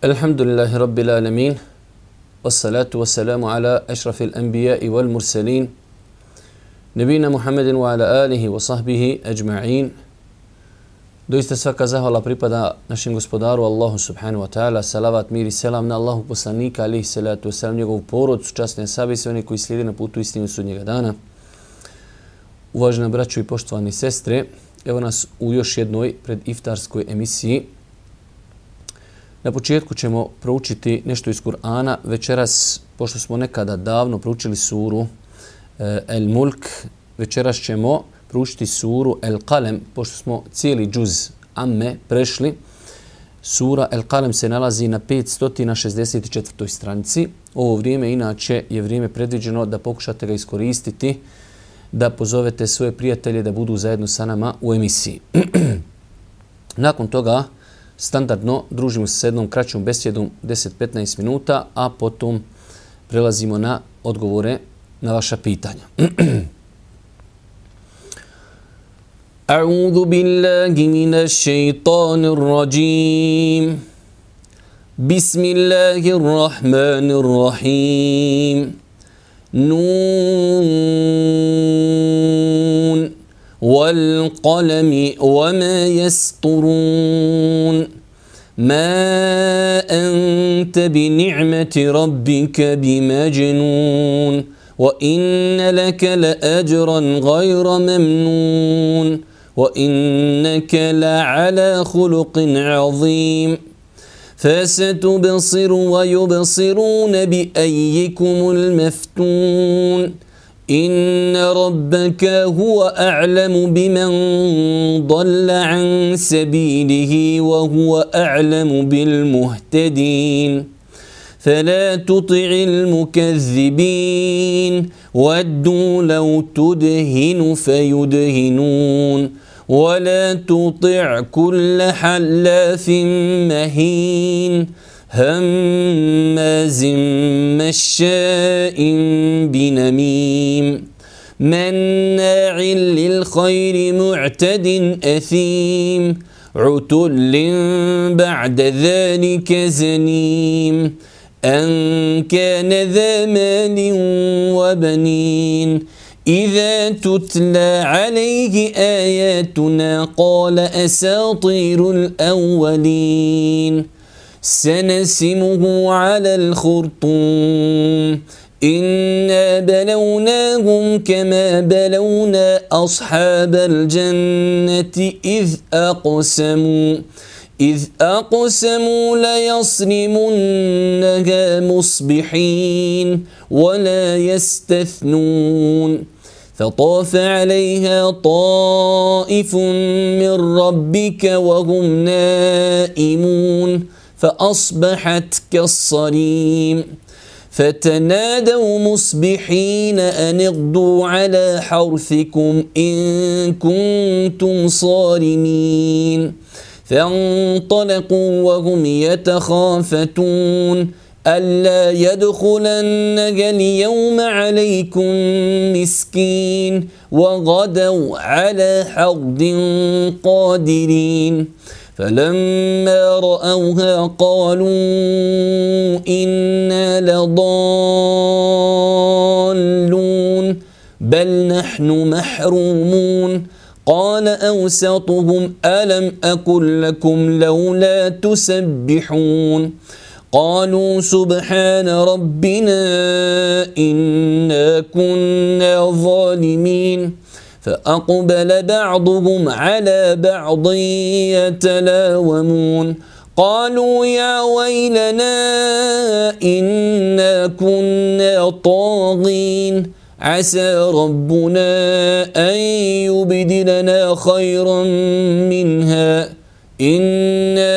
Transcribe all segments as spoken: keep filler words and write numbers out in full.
Alhamdulillahi Rabbil Alamin, wassalatu wassalamu ala ašrafil anbiya'i wal mursalin, nebina Muhammedin wa ala alihi wa sahbihi ajma'in. Doista svaka zahvala pripada našem gospodaru Allahu subhanahu wa ta'ala, salavat, mir i selam na Allahu poslanika, alihi salatu wassalam, njegovu porodcu, časne sahabe i sve oni koji slijede na putu istinu sudnjega dana. Uvažena braćo i poštovani sestre, evo nas u još jednoj prediftarskoj emisiji. Na početku ćemo proučiti nešto iz Kur'ana. Večeras, pošto smo nekada davno proučili suru e, El Mulk, večeras ćemo proučiti suru El Qalem, pošto smo cijeli džuz Amme prešli. Sura El Qalem se nalazi na petsto šezdeset četvrtoj stranici. Ovo vrijeme inače je vrijeme predviđeno da pokušate ga iskoristiti, da pozovete svoje prijatelje da budu zajedno sa nama u emisiji. Nakon toga standardno družimo se s jednom kraćom besjedom deset do petnaest minuta, a potom prelazimo na odgovore na vaša pitanja. A'udhu billahi minash shaitanir rajim. Bismillahirrahmanirrahim. Nun. والقلم وما يسطرون ما أنت بنعمة ربك بمجنون وإن لك لأجرا غير ممنون وإنك لعلى خلق عظيم فستبصر ويبصرون بأيكم المفتون إن ربك هو أعلم بمن ضل عن سبيله وهو أعلم بالمهتدين فلا تطع المكذبين ودوا لو تدهن فيدهنون ولا تطع كل حلاف مهين هماز مشاء بنميم مناع للخير معتد أثيم عتل بعد ذلك زنيم أن كان ذا مال وبنين إذا تتلى عليه آياتنا قال أساطير الأولين سنسمه على الخرطوم إنا بلوناهم كما بلونا أصحاب الجنة إذ أقسموا إذ أقسموا ليصرمنها مصبحين ولا يستثنون فطاف عليها طائف من ربك وهم نائمون فأصبحت كالصريم فتنادوا مصبحين أن اغدوا على حرثكم إن كنتم صارمين فانطلقوا وهم يتخافتون ألا يدخلنها اليوم عليكم مسكين وغدوا على حرد قادرين فلما رأوها قالوا إنا لضالون بل نحن محرومون قال أوسطهم ألم أقل لكم لولا تسبحون قالوا سبحان ربنا إنا كنا ظالمين فأقبل بعضهم على بعض يتلاومون قالوا يا ويلنا إنا كنا طاغين عسى ربنا أن يبدلنا خيرا منها إنا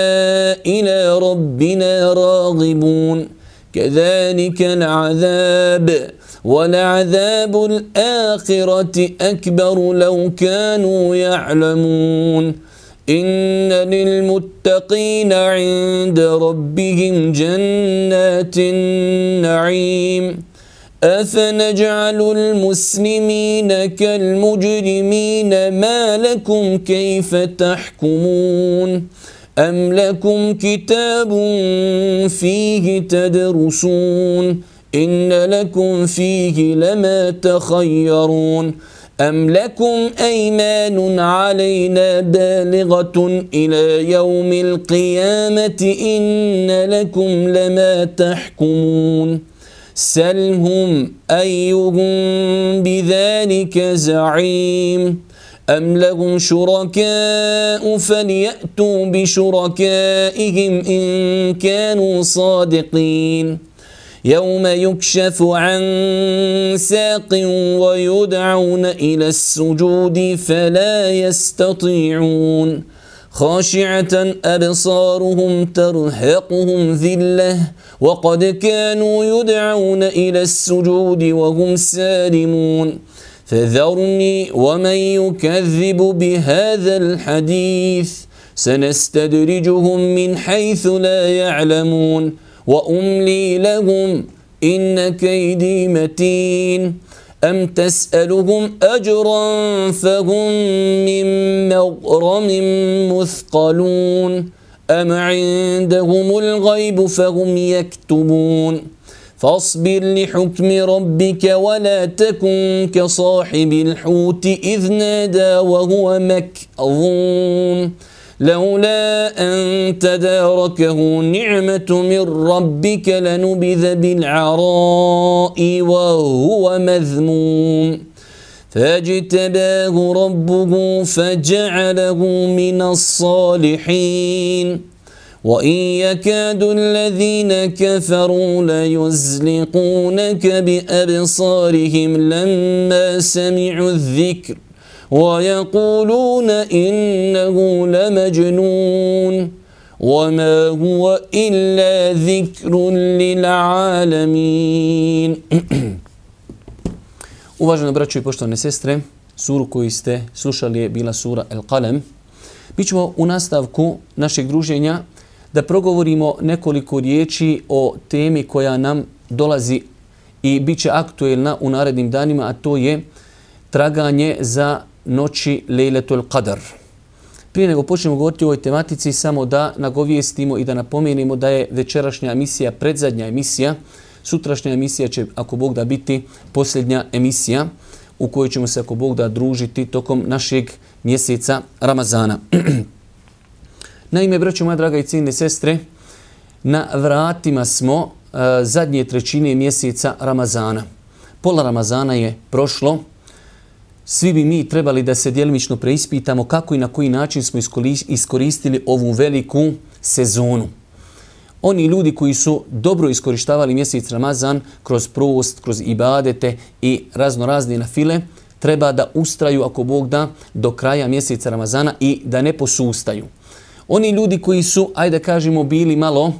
إلى ربنا راغبون كذلك العذاب ولعذاب الآخرة أكبر لو كانوا يعلمون إن للمتقين عند ربهم جنات النعيم أفنجعل المسلمين كالمجرمين ما لكم كيف تحكمون أم لكم كتاب فيه تدرسون إن لكم فيه لما تخيرون أم لكم أيمان علينا بالغة إلى يوم القيامة إن لكم لما تحكمون سلهم أيهم بذلك زعيم أم لهم شركاء فليأتوا بشركائهم إن كانوا صادقين يوم يكشف عن ساق ويدعون إلى السجود فلا يستطيعون خاشعة أبصارهم ترهقهم ذلة وقد كانوا يدعون إلى السجود وهم سالمون فذرني ومن يكذب بهذا الحديث سنستدرجهم من حيث لا يعلمون وأملي لهم إن كيدي متين أم تسألهم أجرا فهم من مغرم مثقلون أم عندهم الغيب فهم يكتبون فاصبر لحكم ربك ولا تكن كصاحب الحوت إذ نادى وهو مكظوم لولا أن تداركه نعمة من ربك لنبذ بالعراء وهو مذموم فاجتباه ربه فجعله من الصالحين وإن يكاد الذين كفروا ليزلقونك بأبصارهم لما سمعوا الذكر ويقولون إنه لمجنون وما هو إلا ذكر للعالمين. Uvaženi braćo i poštovane sestre, suru koju ste slušali je bila sura El-Qalem. Mi ćemo u nastavku našeg druženja da progovorimo nekoliko riječi o temi koja nam dolazi i bit će aktuelna u narednim danima, a to je traganje za noći Lejletul Qadr. Prije nego počnemo govoriti o ovoj tematici, samo da nagovijestimo i da napomenemo da je večerašnja emisija predzadnja emisija. Sutrašnja emisija će, ako Bog da, biti posljednja emisija u kojoj ćemo se, ako Bog da, družiti tokom našeg mjeseca Ramazana. Naime, braćo moja draga i cijenine sestre, na vratima smo uh, zadnje trećine mjeseca Ramazana. Pola Ramazana je prošlo. Svi bi mi trebali da se djelimično preispitamo kako i na koji način smo iskoristili ovu veliku sezonu. Oni ljudi koji su dobro iskorištavali mjesec Ramazan kroz prost, kroz ibadete i razno razne nafile, treba da ustraju, ako Bog da, do kraja mjeseca Ramazana i da ne posustaju. Oni ljudi koji su, ajde kažemo, bili malo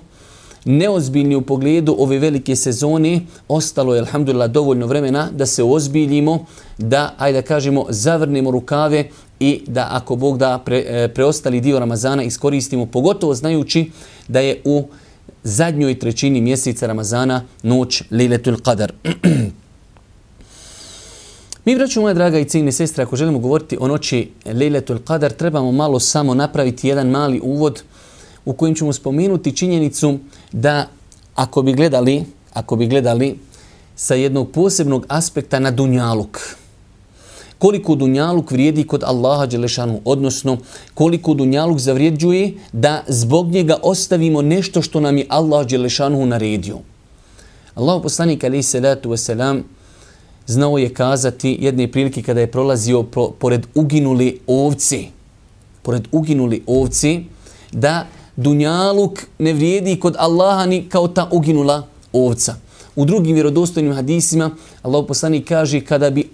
neozbiljni u pogledu ove velike sezone, ostalo je, alhamdulillah, dovoljno vremena da se ozbiljimo, da, ajde kažemo, zavrnemo rukave i da, ako Bog da, pre, preostali dio Ramazana iskoristimo, pogotovo znajući da je u zadnjoj trećini mjeseca Ramazana noć Lejletul Qadr. Mi, braćo moja draga i cijenine sestre, ako želimo govoriti o noći Lejletul Qadr, trebamo malo samo napraviti jedan mali uvod u kojem ćemo spomenuti činjenicu da ako bi gledali, ako bi gledali sa jednog posebnog aspekta na dunjaluk, koliko dunjaluk vrijedi kod Allaha dželešanu, odnosno koliko dunjaluk zavrijeđuje da zbog njega ostavimo nešto što nam je Allah dželešanu naredio. Allahu poslanik alejhi salatu vesselam znao je kazati jedne prilike kada je prolazio pro, pored uginuli ovci, pored uginuli ovci, da dunjaluk ne vrijedi kod Allaha ni kao ta uginula ovca. U drugim vjerodostojnim hadisima Allahu poslanik kaže kada bi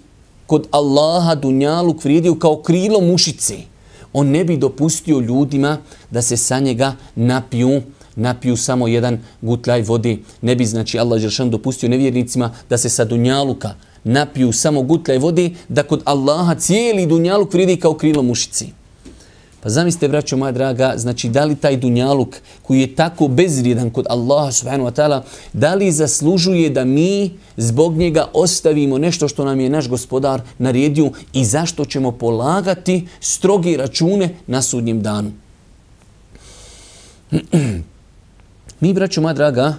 kod Allaha dunjaluk vrijedio kao krilo mušice, on ne bi dopustio ljudima da se sa njega napiju, napiju samo jedan gutlaj vode. Ne bi, znači, Allah dželešan dopustio nevjernicima da se sa dunjaluka napiju samo gutlaj vode, da kod Allaha cijeli dunjaluk vrijedi kao krilo mušice. Pa zamislite, braćo moja draga, znači da li taj dunjaluk koji je tako bezvrijedan kod Allaha subhanahu wa ta'ala, da li zaslužuje da mi zbog njega ostavimo nešto što nam je naš gospodar naredio i zašto ćemo polagati stroge račune na sudnjem danu. Mi, braćo moja draga,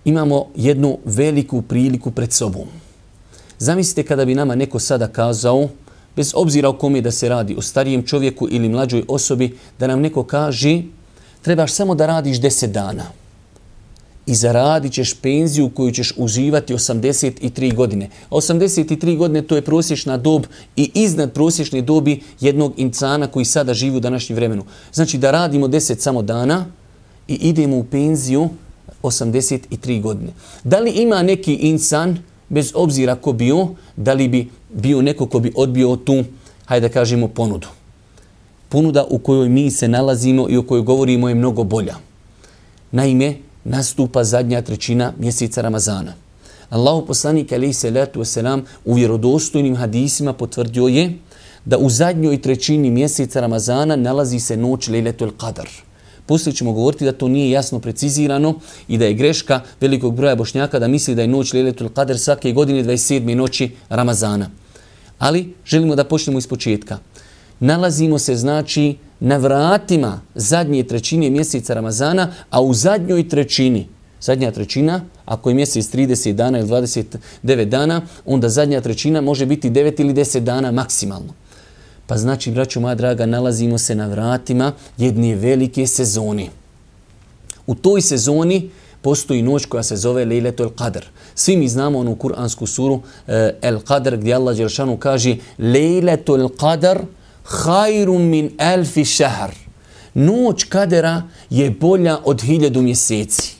imamo jednu veliku priliku pred sobom. Zamislite kada bi nama neko sada kazao, bez obzira o kome da se radi, o starijem čovjeku ili mlađoj osobi, da nam neko kaže trebaš samo da radiš deset dana i zaradit ćeš penziju koju ćeš uživati osamdeset tri godine. A osamdeset tri godine to je prosječna dob i iznad prosječne dobi jednog insana koji sada živi u današnjem vremenu. Znači da radimo deset samo dana i idemo u penziju osamdeset tri godine. Da li ima neki insan, bez obzira ko bio, da li bi bio neko ko bi odbio tu, hajde da kažemo, ponudu. Ponuda u kojoj mi se nalazimo i o kojoj govorimo je mnogo bolja. Naime, nastupa zadnja trećina mjeseca Ramazana. Allahu poslanik alejhi salatu vesselam u vjerodostojnim hadisima potvrdio je da u zadnjoj trećini mjeseca Ramazana nalazi se noć Lejletul Qadr. Poslije ćemo govoriti da to nije jasno precizirano i da je greška velikog broja Bošnjaka da misli da je noć Lejletul Qadr svake godine dvadeset sedme noći Ramazana. Ali želimo da počnemo iz početka. Nalazimo se znači na vratima zadnje trećine mjeseca Ramazana, a u zadnjoj trećini, zadnja trećina, ako je mjesec trideset dana ili dvadeset devet dana, onda zadnja trećina može biti devet ili deset dana maksimalno. Pa znači, braćo moja draga, nalazimo se na vratima jedne velike sezone. U toj sezoni postoji noć koja se zove Lejletul Qadr. Svi mi znamo onu kuransku suru eh, El Qadr gdje Allah dželešanu kaže Lejletul Qadr hajrun min elfi šehr. Noć Kadera je bolja od hiljadu mjeseci.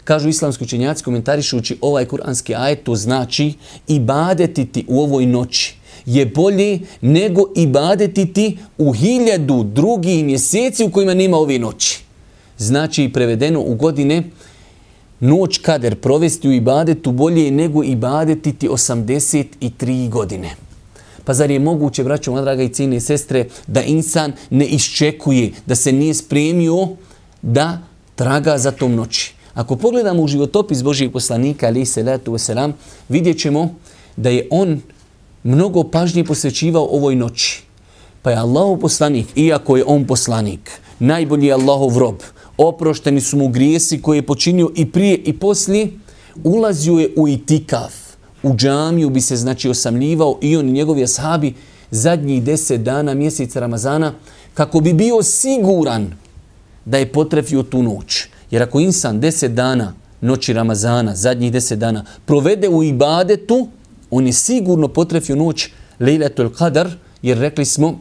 Kažu islamski učenjaci komentarišući ovaj kuranski ajet, to znači ibadetiti u ovoj noći je bolje nego ibadetiti u hiljadu drugih mjeseci u kojima nema ove noći. Znači, prevedeno u godine, noć Kader provesti u ibadetu bolje nego ibadetiti osamdeset tri godine. Pa zar je moguće, braćo moja draga i cijene sestre, da insan ne iščekuje, da se nije spremio da traga za tom noći? Ako pogledamo u životopis Božijeg poslanika, alejhi salatu vesselam, vidjet ćemo da je on mnogo pažnje posvećivao ovoj noći. Pa je Allahov poslanik, iako je on poslanik, najbolji je Allahov rob, oprošteni su mu grijesi koje je počinio i prije i poslije, ulazio je u itikaf. U džamiju bi se znači osamljivao i on i njegovi ashabi zadnjih deset dana mjeseca Ramazana kako bi bio siguran da je potrefio tu noć. Jer ako insan deset dana noći Ramazana, zadnjih deset dana, provede u ibadetu, on je sigurno potrefio noć Lejletul Qadr, jer rekli smo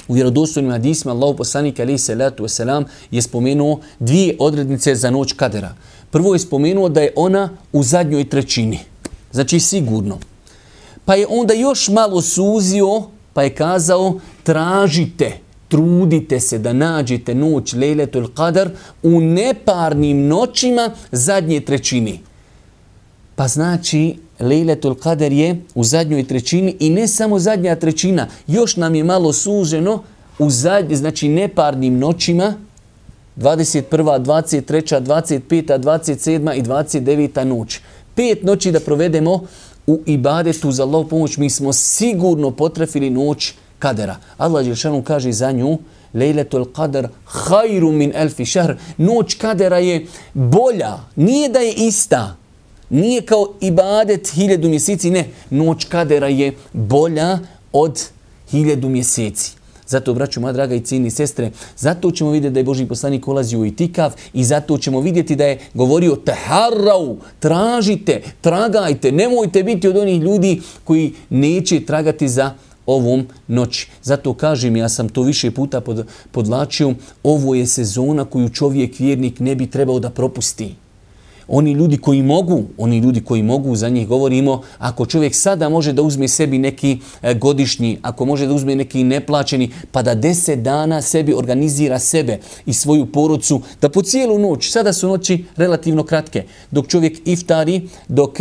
u vjerodostojnim hadisima Allahu poslanik alejhi salatu vesselam je spomenuo dvije odrednice za noć Kadera. Prvo je spomenuo da je ona u zadnjoj trećini. Znači sigurno. Pa je onda još malo suzio, pa je kazao tražite, trudite se da nađete noć Lejletul Qadr u neparnim noćima zadnje trećini. Pa znači Lejletul Qadr je u zadnjoj trećini i ne samo zadnja trećina, još nam je malo suženo u zadnje, znači neparnim noćima dvadeset prva, dvadeset treća, dvadeset peta, dvadeset sedma i dvadeset deveta noć. Pet noći da provedemo u ibadetu za Allahu pomoć, mi smo sigurno potrefili noć Kadera. Allah dželešanu kaže za nju Lejletul Qadr hajru min elfi šehr. Noć Kadera je bolja, nije da je ista. Nije kao ibadet hiljadu mjeseci, ne. Noć Kadera je bolja od hiljadu mjeseci. Zato, braćo moja draga i cijeni sestre, zato ćemo vidjeti da je Božji poslanik ulazio u itikaf i zato ćemo vidjeti da je govorio taharrau, tražite, tragajte, nemojte biti od onih ljudi koji neće tragati za ovom noći. Zato kažem, ja sam to više puta pod, podlačio, ovo je sezona koju čovjek vjernik ne bi trebao da propusti. Oni ljudi koji mogu, oni ljudi koji mogu, za njih govorimo, ako čovjek sada može da uzme sebi neki godišnji, ako može da uzme neki neplaćeni, pa da deset dana sebi organizira sebe i svoju porodcu, da po cijelu noć, sada su noći relativno kratke, dok čovjek iftari, dok,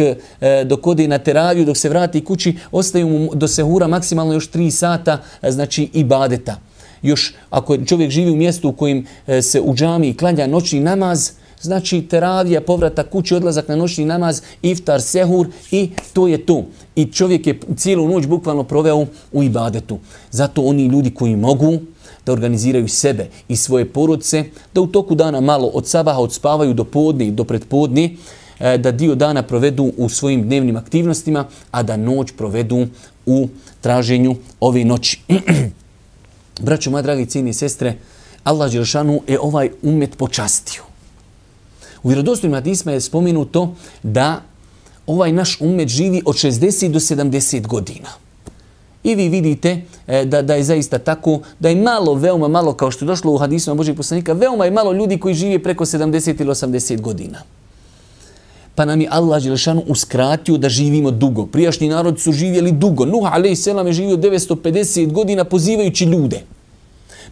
dok ode na teraviju, dok se vrati kući, ostaju mu do sehura maksimalno još tri sata, znači ibadeta. još ako čovjek živi u mjestu u kojem se u džamiji klanja noćni namaz, znači teravija, povratak kući, odlazak na noćni namaz, iftar, sehur i to je to. I čovjek je cijelu noć bukvalno proveo u ibadetu. Zato oni ljudi koji mogu da organiziraju sebe i svoje porodice, da u toku dana malo od sabaha odspavaju do podne i do pretpodne, da dio dana provedu u svojim dnevnim aktivnostima, a da noć provedu u traženju ove noći. Braćo, moja dragi cijeni sestre, Allah dželešanu je ovaj umet počastio. U vjerodostojnim hadisima je spomenuto da ovaj naš umet živi od šezdeset do sedamdeset godina. I vi vidite da, da je zaista tako, da je malo, veoma malo, kao što je došlo u hadisima Božijeg poslanika, veoma je malo ljudi koji žive preko sedamdeset ili osamdeset godina. Pa nam je Allah dželešanu uskratio da živimo dugo. Prijašnji narod su živjeli dugo. Nuh alejhi selam je živio devetsto pedeset godina pozivajući ljude.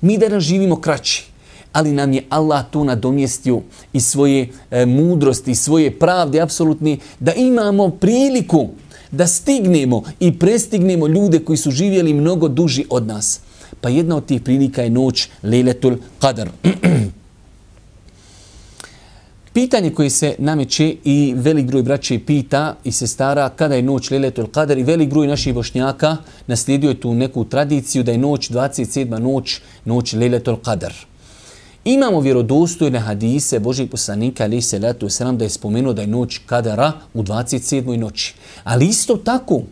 Mi danas živimo kraći. Ali nam je Allah to nadomjestio i svoje e, mudrosti, svoje pravde apsolutne, da imamo priliku da stignemo i prestignemo ljude koji su živjeli mnogo duži od nas. Pa jedna od tih prilika je noć Lejletul Qadr. Pitanje koje se nameće i velik broj braće pita i sestara kada je noć Lejletul Qadr, i velik broj naših bošnjaka naslijedio je tu neku tradiciju da je noć dvadeset sedma noć, noć Lejletul Qadr. Imamo vjerodostojne hadise Božijeg poslanika alejhi selatu vesselam da je spomenuo da je noć Kadara u dvadeset sedmoj noći. Ali isto tako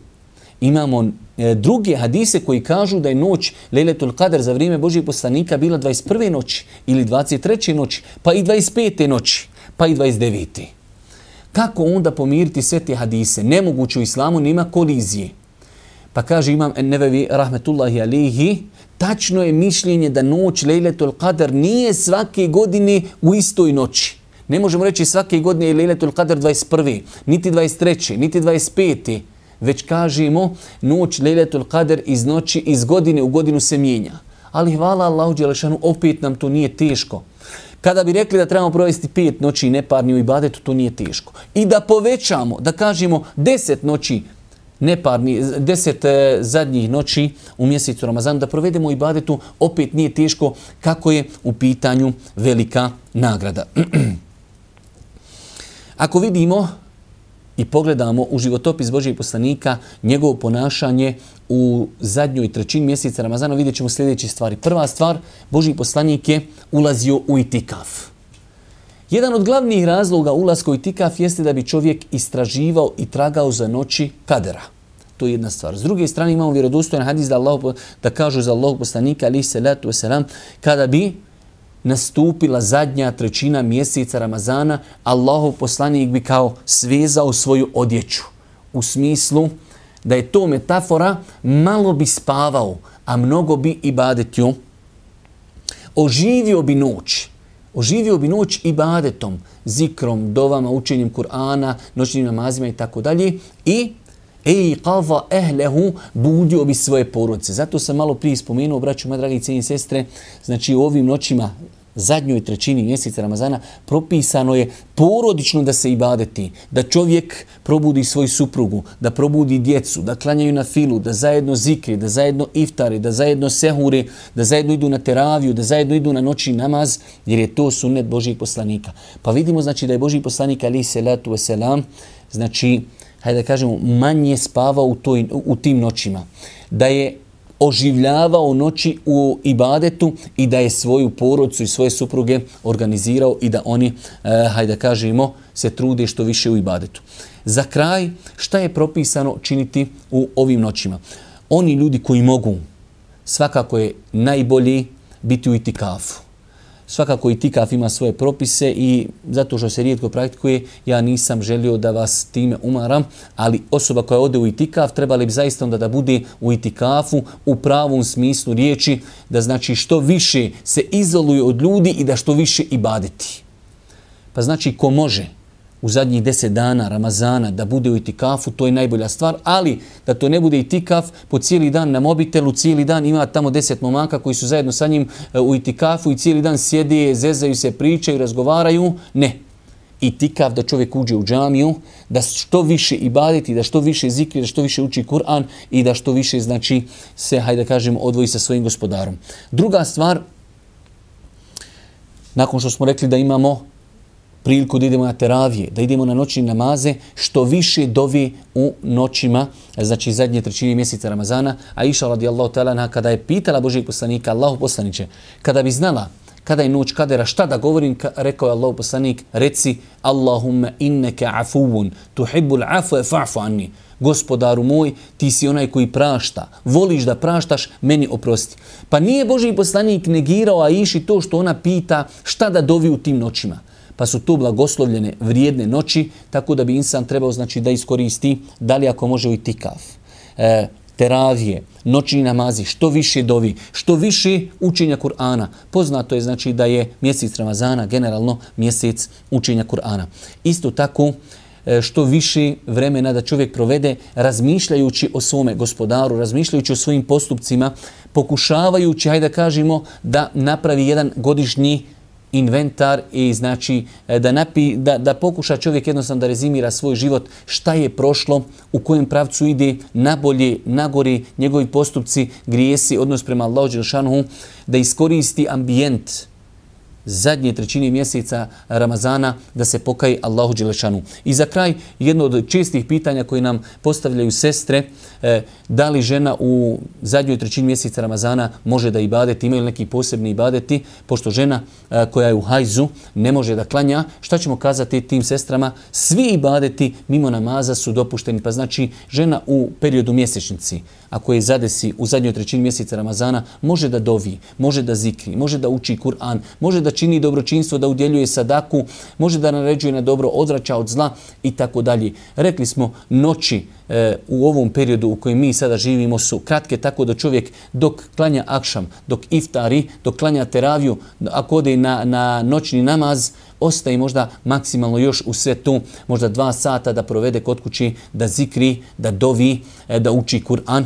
imamo e, druge hadise koji kažu da je noć Lejletul Qadr za vrijeme Božijeg poslanika bila dvadeset prve noći ili dvadeset treće noći, pa i dvadeset pete noći, pa i dvadeset devete. Kako onda pomiriti sve te hadise? Nemoguće, u islamu nema kolizije. Pa kaže Imam en-Nevevi rahmetullahi alejhi, tačno je mišljenje da noć Lejletul Qadr nije svake godine u istoj noći. Ne možemo reći svake godine je Lejletul Qadr dvadeset prve, niti dvadeset treće, niti dvadeset pete, već kažemo noć Lejletul Qadr iz noći, iz godine u godinu se mijenja. Ali hvala Allahu dželešanu, opet nam to nije teško. Kada bi rekli da trebamo provesti pet noći neparni u ibadetu, to nije teško. I da povećamo, da kažemo deset noći neparni, deset e, zadnjih noći u mjesecu Ramazanu, da provedemo ibadetu, opet nije teško kako je u pitanju velika nagrada. Ako vidimo i pogledamo u životopis Božijeg poslanika, njegovo ponašanje u zadnjoj trećini mjeseca Ramazana, vidjet ćemo sljedeće stvari. Prva stvar, Božji poslanik je ulazio u itikaf. Jedan od glavnih razloga ulaska u itikaf jeste da bi čovjek istraživao i tragao za noći kadera. To je jedna stvar. S druge strane imamo vjerodostojan hadis da, Allah, da kažu za Allahog poslanika alejhi selatu vesselam, kada bi nastupila zadnja trećina mjeseca Ramazana, Allahov poslanik bi kao svezao svoju odjeću. U smislu da je to metafora, malo bi spavao, a mnogo bi ibadetio. Oživio bi noć. Oživio bi noć ibadetom, zikrom, dovama, učenjem Kur'ana, noćnim namazima i tako dalje. I ej qava ehlehu, budio bi svoje porodice. Zato sam malo prije spomenuo, braću, moje dragi cijeni sestre, znači u ovim noćima, zadnjoj trećini mjeseca Ramazana, propisano je porodično da se ibadeti, da čovjek probudi svoju suprugu, da probudi djecu, da klanjaju na filu, da zajedno zikri, da zajedno iftari, da zajedno sehuri, da zajedno idu na teraviju, da zajedno idu na noćni namaz, jer je to sunnet Božijeg poslanika. Pa vidimo znači da je Božji poslanik alejhi selatu vesselam, znači, hajde da kažemo, manje spavao u, toj, u tim noćima. Da je oživljavao noći u ibadetu i da je svoju porodicu i svoje supruge organizirao i da oni, eh, hajde da kažemo, se trude što više u ibadetu. Za kraj, šta je propisano činiti u ovim noćima? Oni ljudi koji mogu, svakako je najbolji biti u itikafu. Svakako itikaf ima svoje propise i zato što se rijetko praktikuje, ja nisam želio da vas time umaram, ali osoba koja ode u itikaf trebali bi zaista onda da bude u itikafu u pravom smislu riječi, da znači što više se izoluje od ljudi i da što više ibadeti. Pa znači ko može u zadnjih deset dana Ramazana da bude u itikafu, to je najbolja stvar, ali da to ne bude itikaf po cijeli dan na mobitelu, cijeli dan ima tamo deset momaka koji su zajedno sa njim u itikafu i cijeli dan sjede, zezaju se, pričaju, razgovaraju. Ne. itikaf, da čovjek uđe u džamiju, da što više ibadeti, da što više zikri, da što više uči Kur'an i da što više, znači, se, hajde da kažemo, odvoji sa svojim gospodarom. Druga stvar, nakon što smo rekli da imamo priliku da idemo na teravije, da idemo na noćne namaze, što više dovi u noćima, znači zadnje trećine mjeseca Ramazana, a Iša radijallahu ta'ala kada je pitala Božijeg poslanika, Allahu poslaniće, kada bi znala kada je noć kadera, šta da govorim, rekao je Allahu poslanik, reci Allahumma inneke afuvun, tuhibbul afue fa'fu anni. Gospodaru moj, ti si onaj koji prašta, voliš da praštaš, meni oprosti. Pa nije Božji poslanik negirao Aiši to što ona pita šta da dovi u tim noćima. Pa su to blagoslovljene vrijedne noći, tako da bi insan trebao, znači, da iskoristi, da li ako može u itikaf, e, teravije, noćni namazi, što više dovi, što više učenja Kur'ana. Poznato je, znači, da je mjesec Ramazana generalno mjesec učenja Kur'ana. Isto tako, što više vremena da čovjek provede razmišljajući o svome gospodaru, razmišljajući o svojim postupcima, pokušavajući, hajde da kažemo, da napravi jedan godišnji inventar i znači da, napi, da, da pokuša čovjek jednostavno da rezimira svoj život, šta je prošlo, u kojem pravcu ide, nabolje, nagori, njegovi postupci, grijesi, odnos prema Allahu dželešanohu, da iskoristi ambijent zadnje trećine mjeseca Ramazana da se pokaje Allahu dželešanu. I za kraj, jedno od čestih pitanja koje nam postavljaju sestre, e, da li žena u zadnjoj trećini mjeseca Ramazana može da ibadeti, imaju li neki posebni ibadeti, pošto žena e, koja je u hajzu ne može da klanja, šta ćemo kazati tim sestrama? Svi ibadeti mimo namaza su dopušteni, pa znači žena u periodu mjesečnici, ako je zadesi u zadnjoj trećini mjeseca Ramazana, može da dovi, može da zikri, može da uči Kur'an, može da čini dobročinstvo, da udjeljuje sadaku, može da naređuje na dobro, odvraća od zla i tako dalje. Rekli smo, noći e, u ovom periodu u kojem mi sada živimo su kratke, tako da čovjek dok klanja akšam, dok iftari, dok klanja teraviju, ako ode na, na noćni namaz, ostaje možda maksimalno još u sve tu, možda dva sata da provede kod kući, da zikri, da dovi, e, da uči Kur'an.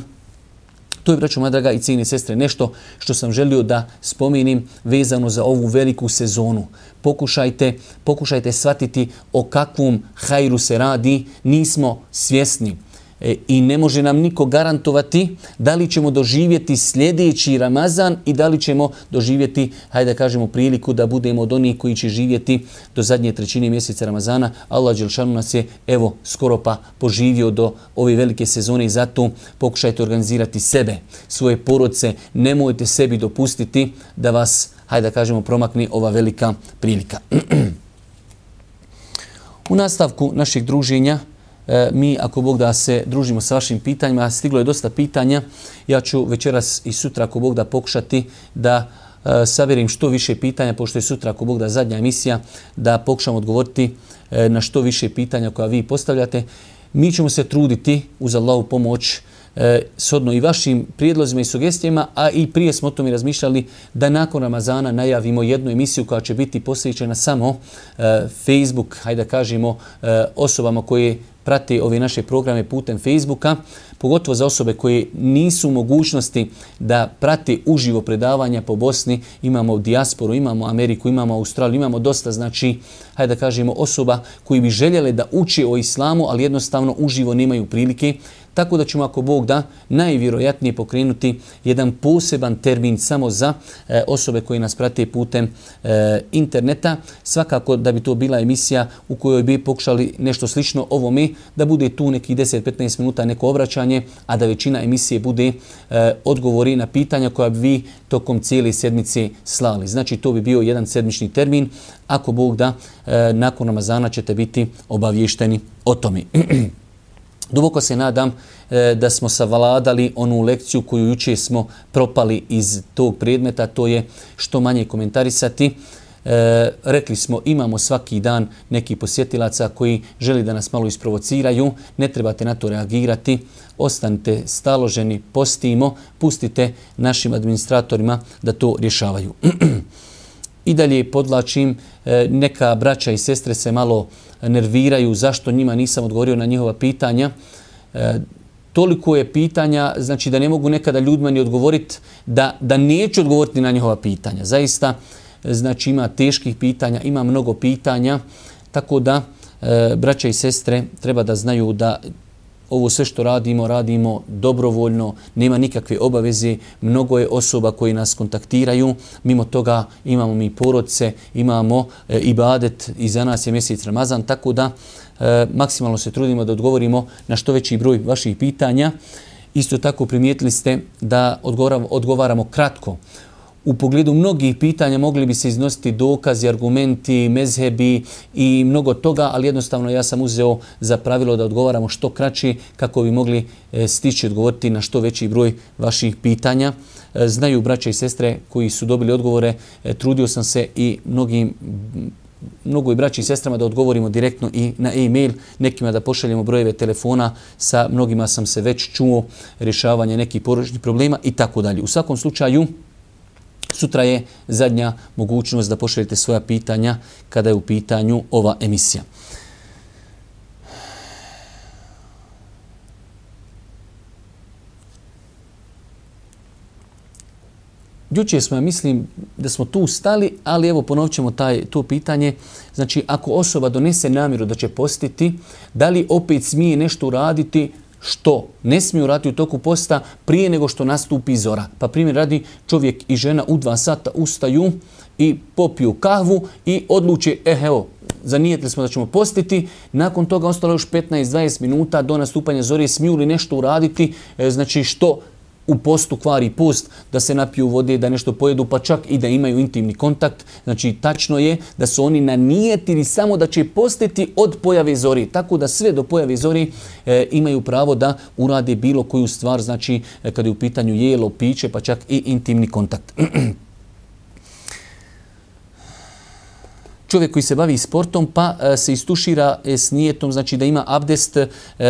To je, braćo moja draga i cijene sestre, nešto što sam želio da spomenim vezano za ovu veliku sezonu. Pokušajte, pokušajte shvatiti o kakvom hajru se radi, nismo svjesni. E, I ne može nam niko garantovati da li ćemo doživjeti sljedeći Ramazan i da li ćemo doživjeti, hajde da kažemo, priliku da budemo od onih koji će živjeti do zadnje trećine mjeseca Ramazana. Allah dželešanu nas je, evo, skoro pa poživio do ove velike sezone i zato pokušajte organizirati sebe, svoje porodce. Nemojte sebi dopustiti da vas, hajde da kažemo, promakne ova velika prilika. U nastavku našeg druženja, mi, ako Bog da, se družimo sa vašim pitanjima, stiglo je dosta pitanja, ja ću večeras i sutra, ako Bog da, pokušati da uh, saberim što više pitanja, pošto je sutra, ako Bog da, zadnja emisija, da pokušam odgovoriti uh, na što više pitanja koja vi postavljate. Mi ćemo se truditi uz Allahu pomoć e, shodno i vašim prijedlozima i sugestijama, a i prije smo o tome razmišljali da nakon Ramazana najavimo jednu emisiju koja će biti posvećena samo e, Facebook, hajde da kažemo, e, osobama koje prate ove naše programe putem Facebooka, pogotovo za osobe koje nisu u mogućnosti da prate uživo predavanja po Bosni. Imamo dijasporu, imamo Ameriku, imamo Australiju, imamo dosta, znači, hajde da kažemo, osoba koji bi željele da uče o islamu, ali jednostavno uživo nemaju prilike. Tako da ćemo, ako Bog da, najvjerojatnije pokrenuti jedan poseban termin samo za e, osobe koje nas prate putem e, interneta. Svakako da bi to bila emisija u kojoj bi pokušali nešto slično ovome, da bude tu nekih deset do petnaest minuta neko obraćanje, a da većina emisije bude e, odgovori na pitanja koja bi vi tokom cijele sedmice slali. Znači, to bi bio jedan sedmični termin. Ako Bog da, e, nakon Ramazana ćete biti obavješteni o tome. Duboko se nadam e, da smo savladali onu lekciju koju jučer smo propali iz tog predmeta, to je što manje komentarisati. E, rekli smo, imamo svaki dan neki posjetilaca koji želi da nas malo isprovociraju, ne trebate na to reagirati, ostanite staloženi, postimo, pustite našim administratorima da to rješavaju. I dalje podlačim, neka braća i sestre se malo nerviraju zašto njima nisam odgovorio na njihova pitanja. E, toliko je pitanja, znači da ne mogu nekada ljudima ni odgovoriti, da, da neću odgovoriti na njihova pitanja. Zaista, znači ima teških pitanja, ima mnogo pitanja Tako da, e, braća i sestre, treba da znaju da ovo sve što radimo, radimo dobrovoljno, nema nikakve obaveze. Mnogo je osoba koji nas kontaktiraju. Mimo toga imamo mi porodce, imamo e, ibadet i za nas je mjesec Ramazan, tako da e, maksimalno se trudimo da odgovorimo na što veći broj vaših pitanja. Isto tako primijetili ste da odgovaramo, odgovaramo kratko. U pogledu mnogih pitanja mogli bi se iznositi dokazi, argumenti, mezhebi i mnogo toga, ali jednostavno ja sam uzeo za pravilo da odgovaramo što kraće kako bi mogli stići odgovoriti na što veći broj vaših pitanja. Znaju braća i sestre koji su dobili odgovore, trudio sam se i mnogim mnogo i braći i sestrama da odgovorimo direktno i na e-mail, nekima da pošaljemo brojeve telefona, sa mnogima sam se već čuo rješavanje nekih porodičnih problema i tako dalje. U svakom slučaju, sutra je zadnja mogućnost da pošaljete svoja pitanja kada je u pitanju ova emisija. Jučer smo, ja mislim da smo tu stali, ali evo ponovit ćemo taj, to pitanje. Znači, ako osoba donese namjeru da će postiti, da li opet smije nešto uraditi što ne smije uraditi u toku posta prije nego što nastupi zora? Pa primjer radi, čovjek i žena u dva sata ustaju i popiju kahvu i odluče, eh evo, zanijetili smo da ćemo postiti, nakon toga ostalo još petnaest do dvadeset minuta do nastupanja zore, smiju li nešto uraditi, e, znači što u postu kvari post, da se napiju vode, da nešto pojedu, pa čak i da imaju intimni kontakt. Znači, tačno je da su oni nanijetili samo da će postiti od pojave zori. Tako da sve do pojave zori e, imaju pravo da urade bilo koju stvar, znači e, kada je u pitanju jelo, piće, pa čak i intimni kontakt. Čovjek koji se bavi sportom pa e, se istušira e, s nijetom, znači da ima abdest, e,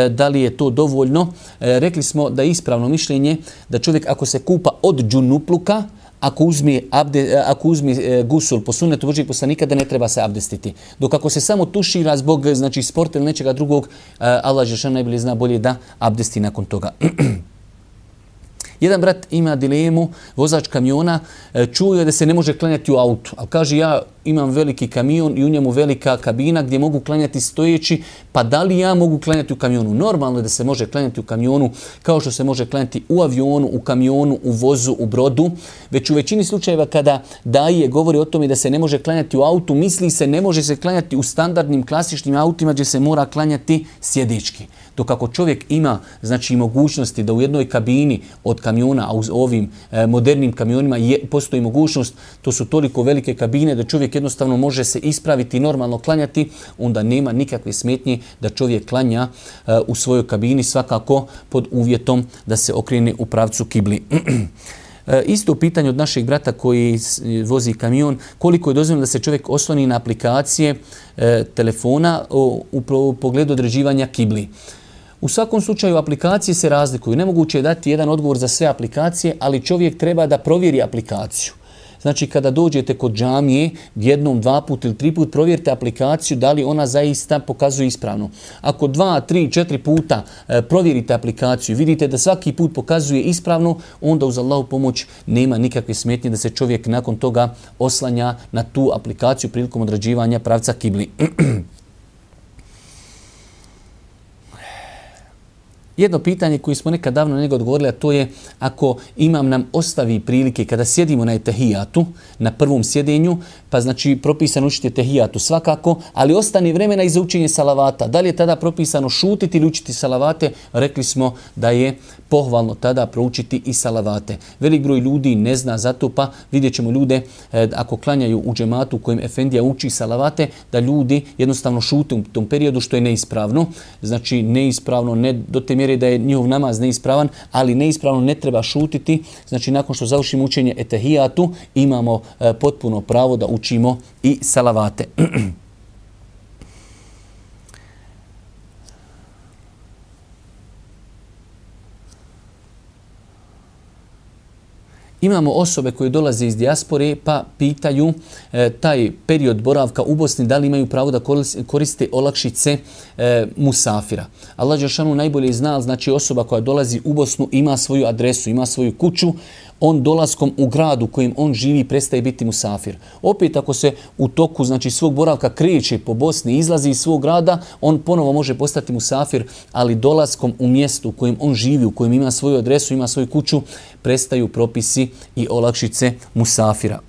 da li je to dovoljno. E, rekli smo da je ispravno mišljenje da čovjek ako se kupa od džunupluka, ako uzme, abde, ako uzme e, gusul po sunnetu Božijeg poslanika, da ne treba se abdestiti. Dok ako se samo tušira zbog znači, sporta ili nečega drugog, e, Allah dželešanu najbolje zna bolje da abdesti nakon toga. Jedan brat ima dilemu, vozač kamiona, čuo je da se ne može klanjati u autu. Ali kaže, ja imam veliki kamion i u njemu velika kabina gdje mogu klanjati stojeći, pa da li ja mogu klanjati u kamionu? Normalno je da se može klanjati u kamionu kao što se može klanjati u avionu, u kamionu, u vozu, u brodu. Već u većini slučajeva kada daje govori o tome da se ne može klanjati u autu, misli se ne može se klanjati u standardnim klasičnim autima gdje se mora klanjati sjedički. Dok ako čovjek ima znači mogućnosti da u jednoj kabini od kamiona, a u ovim e, modernim kamionima je, postoji mogućnost, to su toliko velike kabine da čovjek jednostavno može se ispraviti i normalno klanjati, onda nema nikakve smetnje da čovjek klanja e, u svojoj kabini, svakako pod uvjetom da se okrene u pravcu kibli. E, isto pitanje od našeg brata koji vozi kamion, koliko je dozvoljeno da se čovjek osloni na aplikacije e, telefona u, u, u pogledu određivanja kibli. U svakom slučaju aplikacije se razlikuju. Nemoguće je dati jedan odgovor za sve aplikacije, ali čovjek treba da provjeri aplikaciju. Znači kada dođete kod džamije, jednom, dva put ili tri put provjerite aplikaciju da li ona zaista pokazuje ispravno. Ako dva, tri, četiri puta e, provjerite aplikaciju, vidite da svaki put pokazuje ispravno, onda uz Allahu pomoć nema nikakve smetnje da se čovjek nakon toga oslanja na tu aplikaciju prilikom određivanja pravca kibli. Jedno pitanje koje smo nekad davno na njega odgovorili, a to je ako imam nam ostavi prilike kada sjedimo na etehijatu, na prvom sjedenju, pa znači propisano učiti etehijatu svakako, ali ostane vremena i za učenje salavata. Da li je tada propisano šutiti ili učiti salavate? Rekli smo da je pohvalno tada proučiti i salavate. Velik broj ljudi ne zna zato, pa vidjet ćemo ljude eh, ako klanjaju u džematu u kojem efendija uči salavate, da ljudi jednostavno šute u tom periodu što je neispravno. Znači neispravno, ne do te mjere da je njihov namaz neispravan, ali neispravno ne treba šutiti. Znači nakon što završimo učenje etehijatu imamo e, potpuno pravo da učimo i salavate. Imamo osobe koje dolaze iz dijaspore pa pitaju e, taj period boravka u Bosni da li imaju pravo da koriste olakšice e, musafira. Allah dželešanu najbolje zna, znači osoba koja dolazi u Bosnu ima svoju adresu, ima svoju kuću, on dolaskom u gradu u kojem on živi prestaje biti musafir. Opet ako se u toku znači svog boravka kreće po Bosni, izlazi iz svog grada, on ponovo može postati musafir, ali dolaskom u mjestu u kojem on živi, u kojem ima svoju adresu, ima svoju kuću, prestaju propisi i olakšice musafira.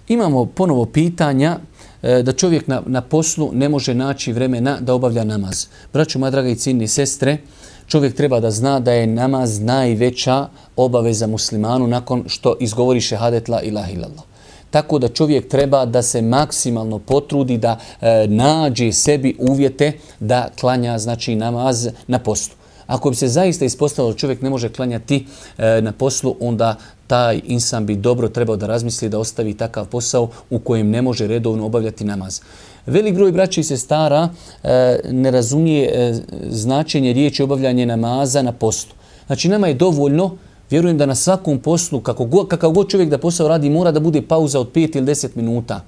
Imamo ponovo pitanja e, da čovjek na, na poslu ne može naći vremena da obavlja namaz. Braćo, moja draga i cijenine sestre, čovjek treba da zna da je namaz najveća obaveza muslimanu nakon što izgovori šehadet la ilaha illallah. Tako da čovjek treba da se maksimalno potrudi da e, nađe sebi uvjete da klanja znači namaz na poslu. Ako bi se zaista ispostavilo da čovjek ne može klanjati e, na poslu, onda taj insan bi dobro trebao da razmisli da ostavi takav posao u kojem ne može redovno obavljati namaz. Velik broj braća i sestara e, ne razumije e, značenje riječi obavljanje namaza na poslu. Znači nama je dovoljno, vjerujem da na svakom poslu, kako god, kakav god čovjek da posao radi, mora da bude pauza od pet ili deset minuta.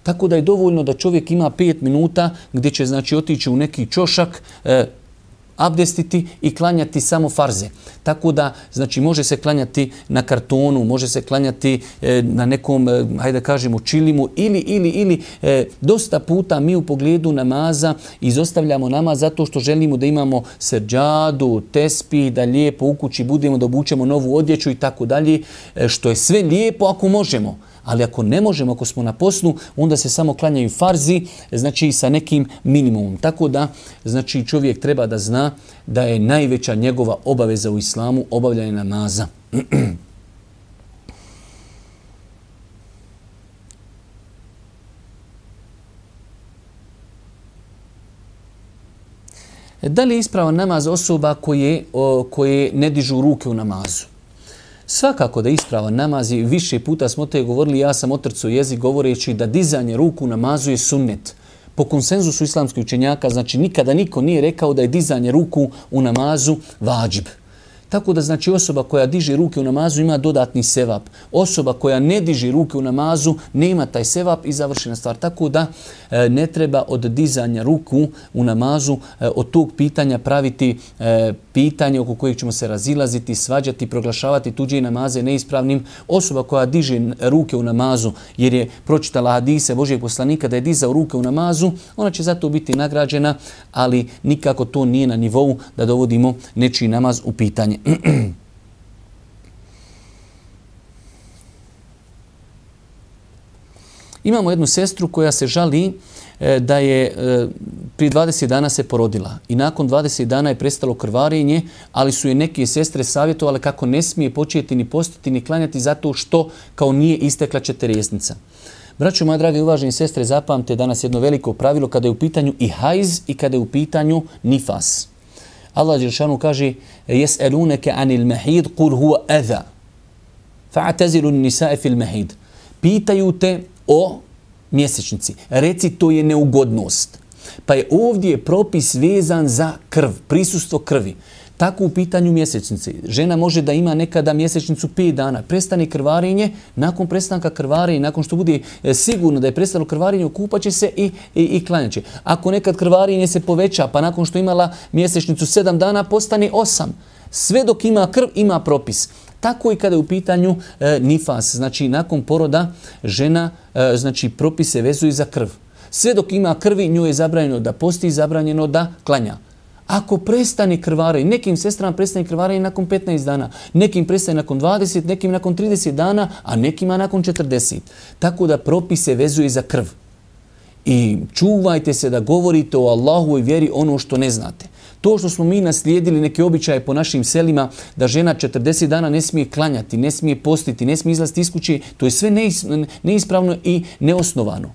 Tako da je dovoljno da čovjek ima pet minuta gdje će znači otići u neki čošak, e, abdestiti i klanjati samo farze. Tako da, znači, može se klanjati na kartonu, može se klanjati e, na nekom, e, hajde da kažemo, čilimu ili, ili, ili e, dosta puta mi u pogledu namaza izostavljamo namaz zato što želimo da imamo seđadu, tespih, da lijepo u kući budemo, da obučemo novu odjeću i tako dalje, e, što je sve lijepo ako možemo. Ali ako ne možemo, ako smo na poslu, onda se samo klanjaju farzi, znači sa nekim minimumom. Tako da, znači čovjek treba da zna da je najveća njegova obaveza u islamu obavljanje namaza. Da li je ispravan namaz osoba koje, o, koje ne dižu ruke u namazu? Svakako da je ispravan namaz i više puta smo te govorili, ja sam otrcao jezik govoreći da dizanje ruku u namazu je sunnet. Po konsenzusu islamskih učenjaka, znači nikada niko nije rekao da je dizanje ruku u namazu vađib. Tako da znači osoba koja diže ruke u namazu ima dodatni sevap. Osoba koja ne diže ruke u namazu nema taj sevap i završena stvar. Tako da e, ne treba od dizanja ruku u namazu e, od tog pitanja praviti e, pitanje oko kojeg ćemo se razilaziti, svađati, proglašavati tuđe namaze neispravnim. Osoba koja diže ruke u namazu jer je pročitala hadise Božijeg poslanika da je dizao ruke u namazu, ona će zato biti nagrađena, ali nikako to nije na nivou da dovodimo nečiji namaz u pitanje. Imamo jednu sestru koja se žali e, da je e, prije dvadeset dana se porodila i nakon dvadeset dana je prestalo krvarenje, ali su je neke sestre savjetovale kako ne smije početi ni postiti ni klanjati zato što kao nije istekla četrdesetnica. Braćo, moja draga i uvaženi sestre, zapamte danas jedno veliko pravilo kada je u pitanju i hajz i kada je u pitanju nifas. Allah dželešanu kaže: "Yes'alunaka 'anil mahid qul huwa adha fa'tazilu an-nisa'a fil mahid." Pitaju te o mjesečnici. Reci to je neugodnost. Pa je ovdje propis vezan za krv, prisustvo krvi. Tako u pitanju mjesečnice. Žena može da ima nekada mjesečnicu pet dana. Prestane krvarenje, nakon prestanka krvarenja, nakon što bude sigurno da je prestalo krvarenje, okupaće se i, i, i klanjaće. Ako nekad krvarenje se poveća, pa nakon što imala mjesečnicu sedam dana, postane osam. Sve dok ima krv, ima propis. Tako i kada je u pitanju e, nifas, znači nakon poroda žena, e, znači propise vezuju za krv. Sve dok ima krvi, njoj je zabranjeno da posti, zabranjeno da klanja. Ako prestane krvarenje, nekim sestrama prestane krvarenje nakon petnaest dana, nekim prestane nakon dvadeset, nekim nakon trideset dana, a nekima nakon četrdeset. Tako da propise vezuje za krv. I čuvajte se da govorite o Allahovoj vjeri ono što ne znate. To što smo mi naslijedili neke običaje po našim selima, da žena četrdeset dana ne smije klanjati, ne smije postiti, ne smije izlaziti iz kuće, to je sve neispravno i neosnovano.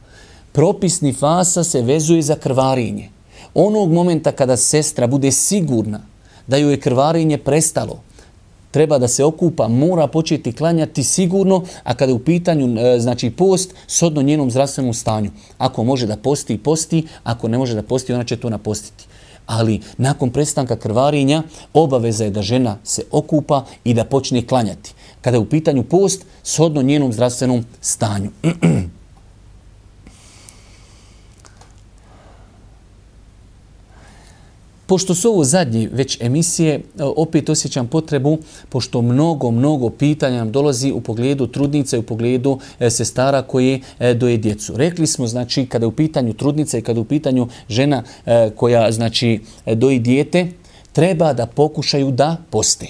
Propis nifasa se vezuje za krvarenje. Onog momenta kada sestra bude sigurna da joj je krvarenje prestalo, treba da se okupa, mora početi klanjati sigurno, a kada je u pitanju znači post, shodno njenom zdravstvenom stanju. Ako može da posti, posti, ako ne može da posti, ona će to napostiti. Ali nakon prestanka krvarenja obaveza je da žena se okupa i da počne klanjati. Kada je u pitanju post, shodno njenom zdravstvenom stanju. Pošto su ovo zadnje već emisije, opet osjećam potrebu, pošto mnogo, mnogo pitanja nam dolazi u pogledu trudnica i u pogledu sestara koje doje djecu. Rekli smo, znači, kada je u pitanju trudnica i kada je u pitanju žena koja, znači, doji dijete, treba da pokušaju da poste.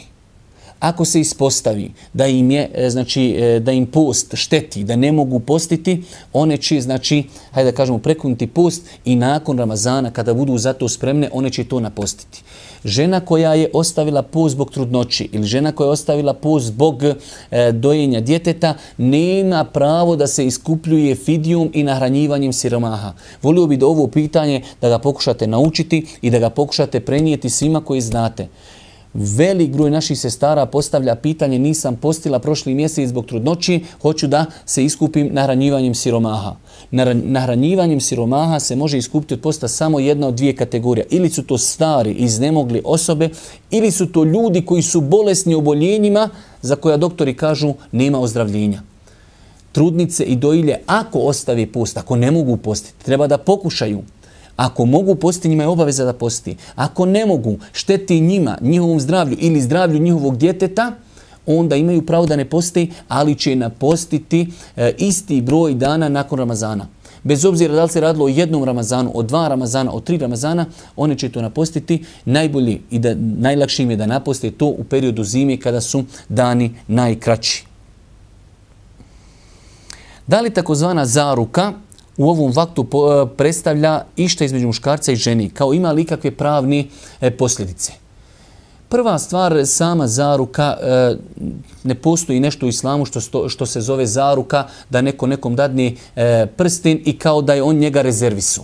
Ako se ispostavi da im je, znači, da im post šteti, da ne mogu postiti, one će, znači, hajde da kažemo, prekinuti post i nakon Ramazana, kada budu za to spremne, one će to napostiti. Žena koja je ostavila post zbog trudnoći ili žena koja je ostavila post zbog e, dojenja djeteta, nema pravo da se iskupljuje fidijom i nahranjivanjem siromaha. Volio bi da ovo pitanje da ga pokušate naučiti i da ga pokušate prenijeti svima koji znate. Velik broj naših sestara postavlja pitanje, nisam postila prošli mjesec zbog trudnoći, hoću da se iskupim nahranjivanjem siromaha. Nahranjivanjem siromaha se može iskupiti od posta samo jedna od dvije kategorije. Ili su to stari, iznemogli osobe, ili su to ljudi koji su bolesni oboljenjima za koja doktori kažu nema ozdravljenja. Trudnice i dojilje, ako ostave post, ako ne mogu postiti, treba da pokušaju. Ako mogu postiti, njima je obaveza da posti. Ako ne mogu, šteti njima, njihovom zdravlju ili zdravlju njihovog djeteta, onda imaju pravo da ne posti, ali će napostiti e, isti broj dana nakon Ramazana. Bez obzira da li se radilo o jednom Ramazanu, o dva Ramazana, o tri Ramazana, one će to napostiti. Najbolje i da, najlakše im je da naposte to u periodu zime kada su dani najkraći. Da li takozvana zaruka u ovom vaktu predstavlja išta između muškarca i ženi, kao ima li kakve pravne posljedice? Prva stvar, sama zaruka, ne postoji nešto u islamu što, što se zove zaruka, da neko nekom dadne prsten i kao da je on njega rezervisu.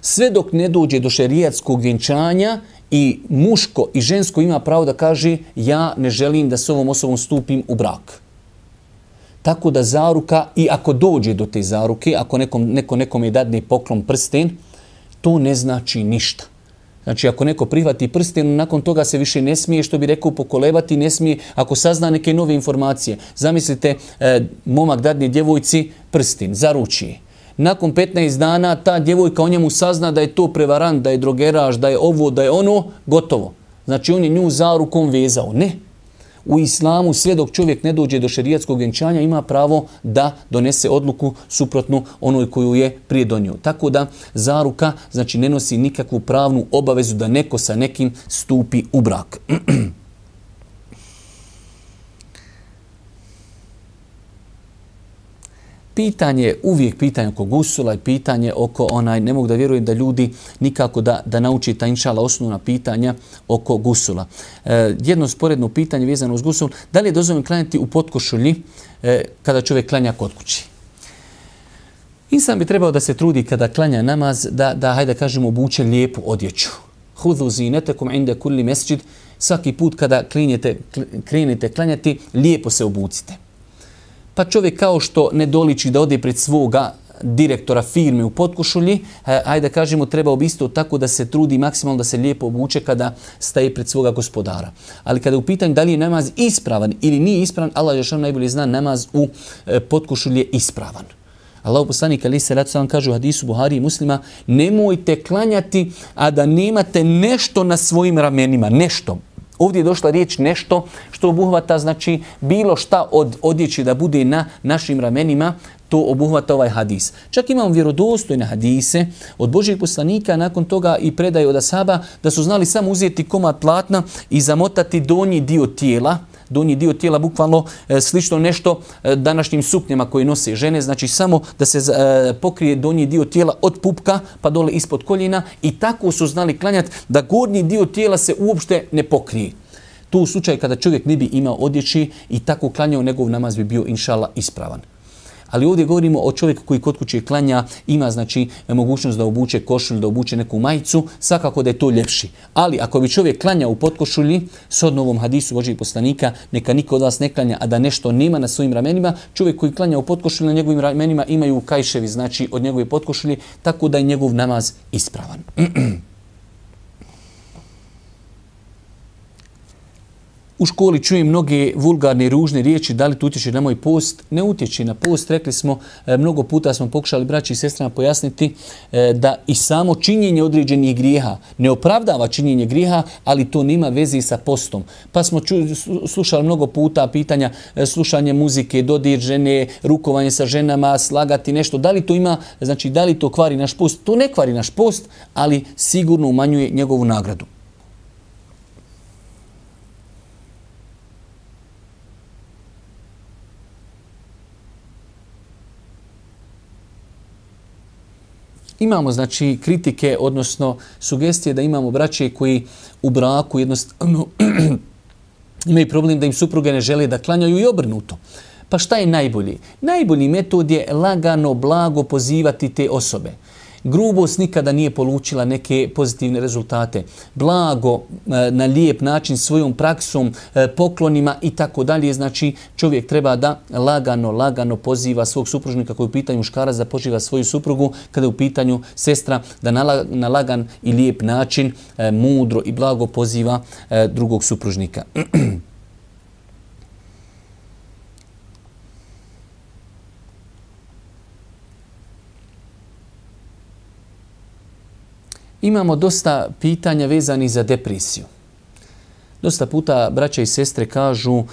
Sve dok ne dođe do šerijatskog vjenčanja i muško i žensko ima pravo da kaže ja ne želim da s ovom osobom stupim u brak. Tako da zaruka, i ako dođe do te zaruke, ako nekom, neko nekome dadne poklon prsten, to ne znači ništa. Znači, ako neko prihvati prsten, nakon toga se više ne smije, što bi rekao, pokolebati, ne smije, ako sazna neke nove informacije. Zamislite, e, momak dadne djevojci prsten, zaruči je. Nakon petnaest dana ta djevojka o njemu sazna da je to prevarant, da je drogeraš, da je ovo, da je ono, gotovo. Znači, on je nju zarukom vezao. Ne. U islamu sve dok čovjek ne dođe do šerijatskog vjenčanja ima pravo da donese odluku suprotnu onoj koju je prije donio. Tako da zaruka znači ne nosi nikakvu pravnu obavezu da neko sa nekim stupi u brak. Pitanje, uvijek pitanje oko gusula i pitanje oko onaj, ne mogu da vjerujem da ljudi nikako da, da nauči ta inšala osnovna pitanja oko gusula. E, jedno sporedno pitanje vezano uz gusul, da li je dozvoljeno klanjati u potkošulji e, kada čovjek klanja kod kući? Insan bi trebao da se trudi kada klanja namaz, da, da hajde kažemo, obuče lijepu odjeću. Hudhu zinetekum inde kulli mesdžid, svaki put kada klinjete, krenete klanjati, lijepo se obucite. Pa čovjek kao što ne doliči da ode pred svoga direktora firme u potkošulji, ajde da kažemo, trebao bi isto tako da se trudi maksimalno da se lijepo obuče kada staje pred svoga gospodara. Ali kada je u pitanju da li je namaz ispravan ili nije ispravan, Allah dželle najbolje zna, namaz u potkošulji je ispravan. Allahu poslanik alejhi selatu selam kaže u hadisu Buhari i Muslima, nemojte klanjati, a da nemate nešto na svojim ramenima, nešto. Ovdje je došla riječ nešto što obuhvata, znači bilo šta od odjeći da bude na našim ramenima, to obuhvata ovaj hadis. Čak imamo vjerodostojne hadise od Božjeg poslanika, nakon toga i predaje od ashaba, da su znali samo uzeti komad platna i zamotati donji dio tijela, donji dio tijela bukvalno e, slično nešto e, današnjim suknjama koje nose žene, znači samo da se e, pokrije donji dio tijela od pupka pa dole ispod koljena i tako su znali klanjati da gornji dio tijela se uopšte ne pokrije. Tu u slučaju kada čovjek ne bi imao odjeći i tako klanjao, njegov namaz bi bio inšala ispravan. Ali ovdje govorimo o čovjeku koji kod kuće klanja, ima znači mogućnost da obuče košulju, da obuče neku majicu, svakako da je to ljepši. Ali ako bi čovjek klanjao u potkošulji, shodno ovom hadisu Božijeg poslanika, neka niko od vas ne klanja, a da nešto nema na svojim ramenima, čovjek koji klanja u potkošulji, na njegovim ramenima imaju kajševi, znači od njegove potkošulje, tako da je njegov namaz ispravan. U školi čujem mnoge vulgarne i ružne riječi, da li to utječe na moj post? Ne utječe na post, rekli smo, mnogo puta smo pokušali braći i sestrama pojasniti da i samo činjenje određenih grijeha ne opravdava činjenje grijeha, ali to nema veze sa postom. Pa smo ču, slušali mnogo puta pitanja, slušanje muzike, dodir žene, rukovanje sa ženama, slagati nešto, da li to ima, znači da li to kvari naš post? To ne kvari naš post, ali sigurno umanjuje njegovu nagradu. Imamo znači kritike, odnosno sugestije da imamo braće koji u braku jednostavno imaju problem da im supruge ne žele da klanjaju i obrnuto. Pa šta je najbolji? Najbolji metod je lagano, blago pozivati te osobe. Grubost nikada nije polučila neke pozitivne rezultate. Blago, na lijep način, svojom praksom, poklonima i tako dalje. Znači čovjek treba da lagano, lagano poziva svog supružnika koji je u pitanju muškarac da poziva svoju suprugu, kada je u pitanju sestra da na lagan i lijep način, mudro i blago poziva drugog supružnika. Imamo dosta pitanja vezanih za depresiju. Dosta puta braća i sestre kažu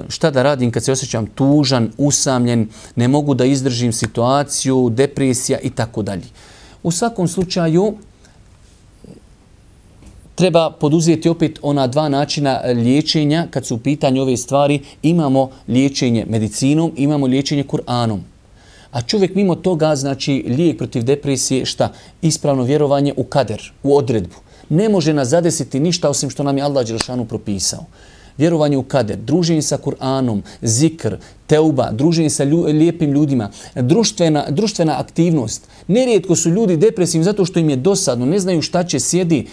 šta da radim kad se osjećam tužan, usamljen, ne mogu da izdržim situaciju, depresija i tako dalje. U svakom slučaju treba poduzeti opet ona dva načina liječenja kad su u pitanju ove stvari. Imamo liječenje medicinom, imamo liječenje Kur'anom. A čovjek mimo toga, znači lijek protiv depresije, šta? Ispravno vjerovanje u kader, u odredbu. Ne može nas zadesiti ništa osim što nam je Allah dželešanu propisao. Vjerovanje u kader, druženje sa Kur'anom, zikr, teuba, druženje sa lju, lijepim ljudima, društvena, društvena aktivnost. Nerijetko su ljudi depresivni zato što im je dosadno, ne znaju šta će, sjedi.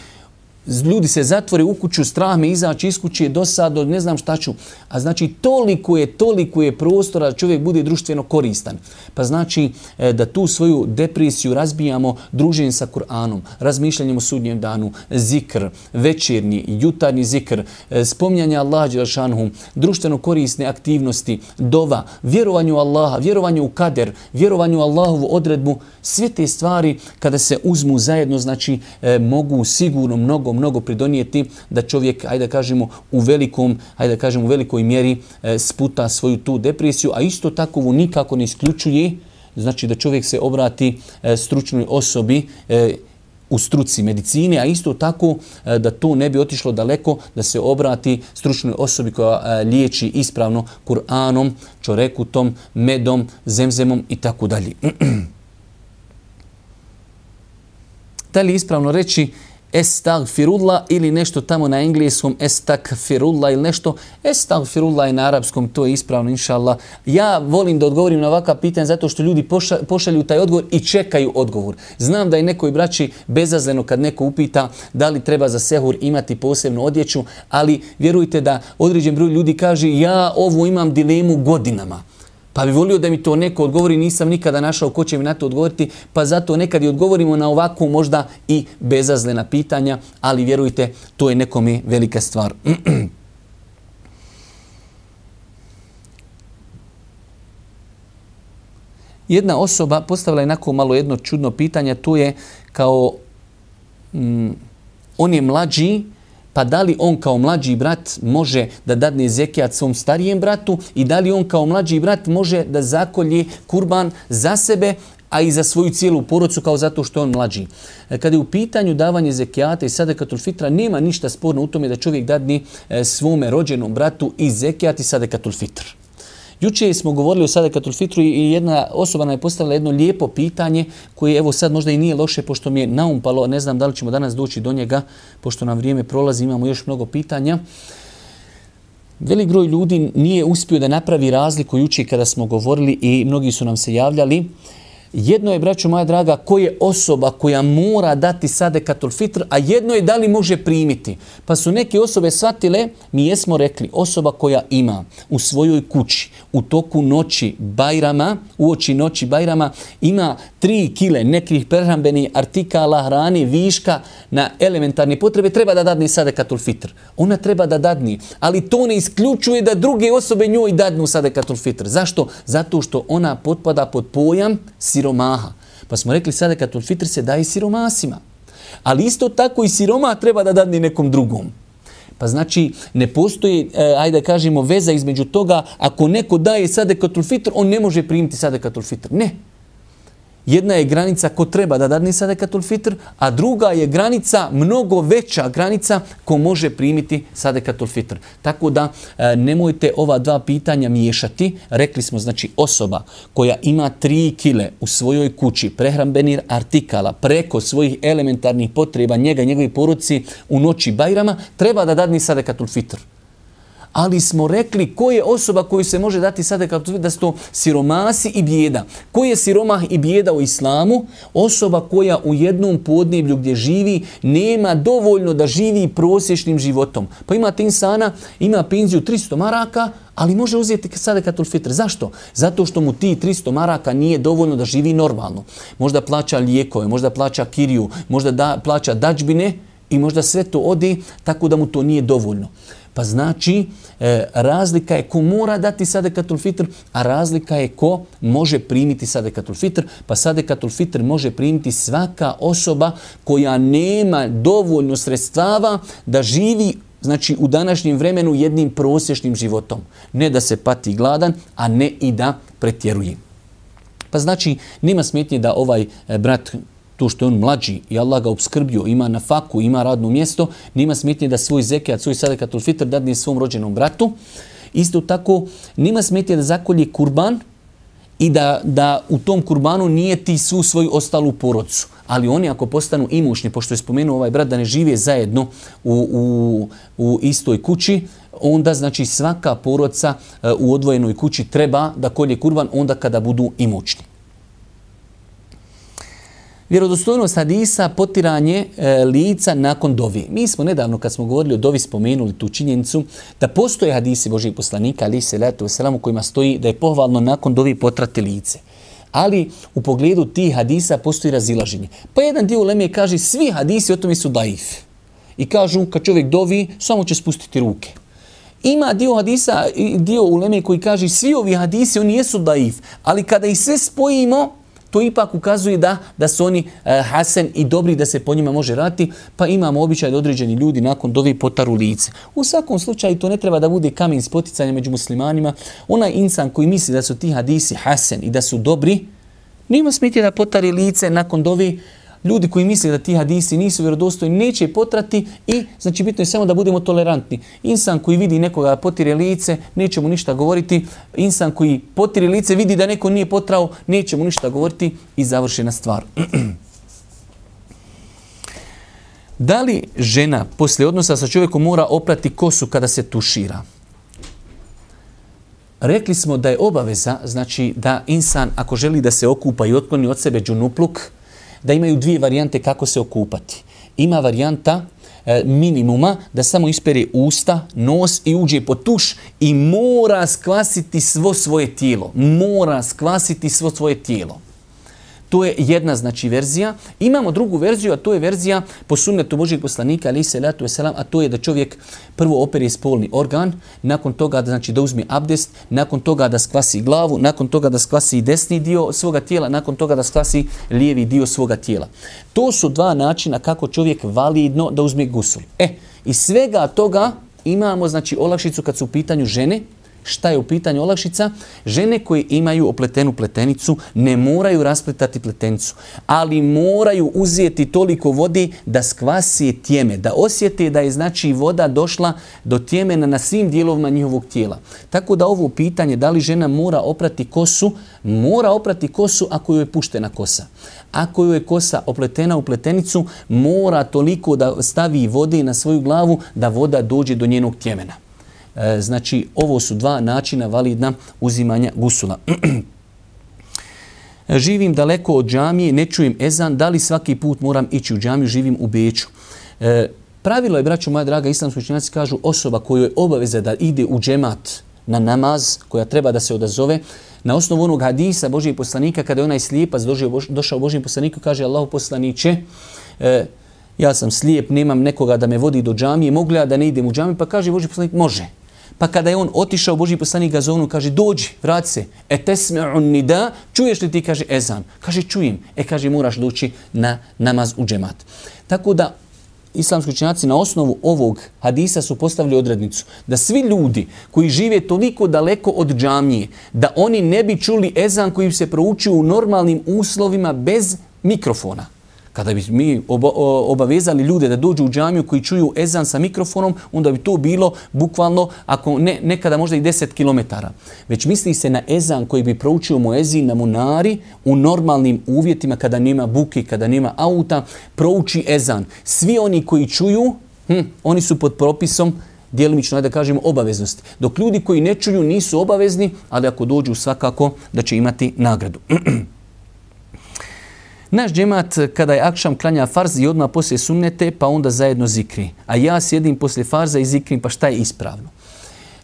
Ljudi se zatvore u kuću, strah me izaći iz kuće, dosadno, ne znam šta ću. A znači toliko je, toliko je prostora da čovjek bude društveno koristan. Pa znači da tu svoju depresiju razbijamo druženjem sa Kur'anom, razmišljanjem o sudnjem danu, zikr, večernji, jutarnji zikr, spominjanje Allaha dželešanu, društveno korisne aktivnosti, dova, vjerovanju Allaha, vjerovanju u kader, vjerovanju u Allahovu odredbu. Sve te stvari kada se uzmu zajedno, znači mogu sigurno mnogo mnogo pridonijeti da čovjek, ajde da kažemo, u velikom, ajde da kažemo, u velikoj mjeri e, sputa svoju tu depresiju, a isto tako nikako ne isključuje, znači da čovjek se obrati e, stručnoj osobi e, u struci medicine, a isto tako e, da to ne bi otišlo daleko, da se obrati stručnoj osobi koja e, liječi ispravno Kur'anom, čorekutom, medom, zemzemom i tako dalje. Da li ispravno reći estagfirullah ili nešto tamo na engleskom estagfirullah ili nešto. Estagfirullah je na arapskom, to je ispravno, inšallah. Ja volim da odgovorim na ovakva pitanja zato što ljudi poša, pošalju taj odgovor i čekaju odgovor. Znam da je nekoj braći bezazleno kad neko upita da li treba za sehur imati posebnu odjeću, ali vjerujte da određen broj ljudi kaže ja ovo imam dilemu godinama. Pa bi volio da mi to neko odgovori, nisam nikada našao ko će mi na to odgovoriti, pa zato nekad i odgovorimo na ovakvu možda i bezazlena pitanja, ali vjerujte, to je nekome velika stvar. Jedna osoba postavila je onako malo jedno čudno pitanje, to je kao mm, on je mlađi, pa da li on kao mlađi brat može da dadne zekijat svom starijem bratu i da li on kao mlađi brat može da zakolje kurban za sebe, a i za svoju cijelu porodcu kao zato što je on mlađi. Kada je u pitanju davanje zekijata i sadekatul fitra, nema ništa sporno u tome da čovjek dadne svome rođenom bratu i zekijat i sadekatul fitr. Juče smo govorili o sadekatul fitru i jedna osoba nam je postavila jedno lijepo pitanje koje evo sad možda i nije loše pošto mi je naumpalo, ne znam da li ćemo danas doći do njega, pošto nam vrijeme prolazi, imamo još mnogo pitanja. Velik broj ljudi nije uspio da napravi razliku jučer kada smo govorili i mnogi su nam se javljali. Jedno je, braćo moja draga, ko je osoba koja mora dati sadekatul fitr, a jedno je da li može primiti. Pa su neke osobe shvatile, mi jesmo rekli, osoba koja ima u svojoj kući, u toku noći Bajrama, uoči noći Bajrama, ima tri kile nekih prehrambenih artikala, hrane, viška na elementarne potrebe, treba da dadne sadekatul fitr. Ona treba da dadne, ali to ne isključuje da druge osobe njoj dadnu sadekatul fitr. Zašto? Zato što ona potpada pod pojam siromaha. Pa smo rekli sadekatul fitr se daje siromasima. Ali isto tako i siromah treba da dadne nekom drugom. Pa znači ne postoji, ajde da kažemo, veza između toga, ako neko daje sadekatul fitr, on ne može primiti sadekatul fitr. Ne. Jedna je granica ko treba da dadne sadekatul fitr, a druga je granica, mnogo veća granica, ko može primiti sadekatul fitr. Tako da e, nemojte ova dva pitanja miješati. Rekli smo, znači, osoba koja ima tri kile u svojoj kući prehrambenih artikala preko svojih elementarnih potreba njega i njegovi porodici u noći Bajrama, treba da dadne sadekatul fitr. Ali smo rekli ko je osoba koju se može dati sadekatul fitr, da su to siromasi i bijeda. Ko je siromah i bijeda u islamu? Osoba koja u jednom podneblju gdje živi nema dovoljno da živi prosječnim životom. Pa imate insana, ima penziju tristo maraka, ali može uzeti sadekatul fitr. Zašto? Zato što mu ti tristo maraka nije dovoljno da živi normalno. Možda plaća lijekove, možda plaća kiriju, možda da, plaća dadžbine i možda sve to ode, tako da mu to nije dovoljno. Pa znači, e, razlika je ko mora dati sadekatul fitr, a razlika je ko može primiti sadekatul fitr. Pa sadekatul fitr može primiti svaka osoba koja nema dovoljno sredstava da živi, znači, u današnjem vremenu jednim prosječnim životom. Ne da se pati gladan, a ne i da pretjeruje. Pa znači, nema smetnje da ovaj e, brat, to što je on mlađi i Allah ga obskrbio, ima na faku, ima radno mjesto, nima smetnje da svoj zekat, svoj sadekatul fitr dadne svom rođenom bratu. Isto tako, nima smetnje da zakolje kurban i da, da u tom kurbanu nije ti svu svoju ostalu porodcu. Ali oni ako postanu imućni, pošto je spomenuo ovaj brat da ne žive zajedno u, u, u istoj kući, onda znači svaka porodca u odvojenoj kući treba da kolje kurban onda kada budu imućni. Vjerodostojnost hadisa, potiranje e, lica nakon dovi. Mi smo nedavno, kad smo govorili o dovi, spomenuli tu činjenicu da postoje hadisi Božijeg poslanika, alejhi selatu vesselam, u kojima stoji da je pohvalno nakon dovi potrati lice. Ali u pogledu tih hadisa postoji razilaženje. Pa jedan dio uleme kaže svi hadisi o tome su daif. I kažu kad čovjek dovi, samo će spustiti ruke. Ima dio hadisa, dio uleme koji kaže svi ovi hadisi, oni jesu daif. Ali kada ih sve spojimo, to ipak ukazuje da, da su oni e, hasen i dobri, da se po njima može raditi, pa imamo običaj da određeni ljudi nakon dovi potaru lice. U svakom slučaju to ne treba da bude kamen spoticanja među muslimanima. Onaj insan koji misli da su ti hadisi hasen i da su dobri, nema smetnje da potari lice nakon dovi. Ljudi koji misle da ti hadisi nisu vjerodostojni neće potrati i znači bitno je samo da budemo tolerantni. Insan koji vidi nekoga potire lice, neće mu ništa govoriti. Insan koji potire lice vidi da neko nije potrao, neće mu ništa govoriti i završena stvar. Da li žena poslije odnosa sa čovjekom mora oprati kosu kada se tušira? Rekli smo da je obaveza, znači da insan ako želi da se okupa i otkloni od sebe džunupluk, da imaju dvije varijante kako se okupati. Ima varijanta e, minimuma da samo ispere usta, nos i uđe pod tuš i mora skvasiti svo svoje tijelo. Mora skvasiti svo svoje tijelo. To je jedna znači verzija. Imamo drugu verziju, a to je verzija po sunnetu Božijeg poslanika, alejhi selatu vesselam, a to je da čovjek prvo opere spolni organ, nakon toga da, znači, da uzme abdest, nakon toga da skvasi glavu, nakon toga da skvasi desni dio svoga tijela, nakon toga da skvasi lijevi dio svoga tijela. To su dva načina kako čovjek validno da uzme gusul. E, iz svega toga imamo znači olakšicu kad su u pitanju žene. Šta je u pitanju olakšica? Žene koje imaju opletenu pletenicu ne moraju raspletati pletenicu, ali moraju uzeti toliko vode da skvasi tjeme, da osjete da je znači voda došla do tjemena na svim dijelovima njihovog tijela. Tako da ovo pitanje da li žena mora oprati kosu, mora oprati kosu ako joj je puštena kosa. Ako joj je kosa opletena u pletenicu, mora toliko da stavi vode na svoju glavu da voda dođe do njenog tjemena. E, znači, ovo su dva načina validna uzimanja gusula. Živim daleko od džamije, ne čujem ezan, da li svaki put moram ići u džamiju, živim u Beču. E, pravilo je, braćo moja draga, islamski učenjaci kažu, osoba kojoj je obaveza da ide u džemat na namaz, koja treba da se odazove, na osnovu onog hadisa Božijeg poslanika, kada je onaj slijepac došao Božijem poslaniku, kaže Allahu poslaniće, e, ja sam slijep, nemam nekoga da me vodi do džamije, mogu li ja da ne idem u džamiju? Pa kaže Božji poslanik, može. Pa kada je on otišao, Božji poslanik ga zovnu, kaže, dođi, vrati se. E tesme'un nida, čuješ li ti, kaže, ezan? Kaže, čujem. E, kaže, moraš doći na namaz u džemat. Tako da, islamski učenjaci na osnovu ovog hadisa su postavili odrednicu da svi ljudi koji žive toliko daleko od džamije, da oni ne bi čuli ezan koji se proučio u normalnim uslovima bez mikrofona. Kada bi mi oba, obavezali ljude da dođu u džamiju koji čuju ezan sa mikrofonom, onda bi to bilo bukvalno, ako ne, nekada možda i deset kilometara. Već misli se na ezan koji bi proučio muezin na munari u normalnim uvjetima, kada nema buke, kada nema auta, prouči ezan. Svi oni koji čuju, hm, oni su pod propisom djelimično, da kažemo, obaveznosti. Dok ljudi koji ne čuju nisu obavezni, ali ako dođu svakako da će imati nagradu. Naš džemat kada je akšam klanja farz i odmah poslije sunnete, pa onda zajedno zikri. A ja sjedim poslije farza i zikrim, pa šta je ispravno?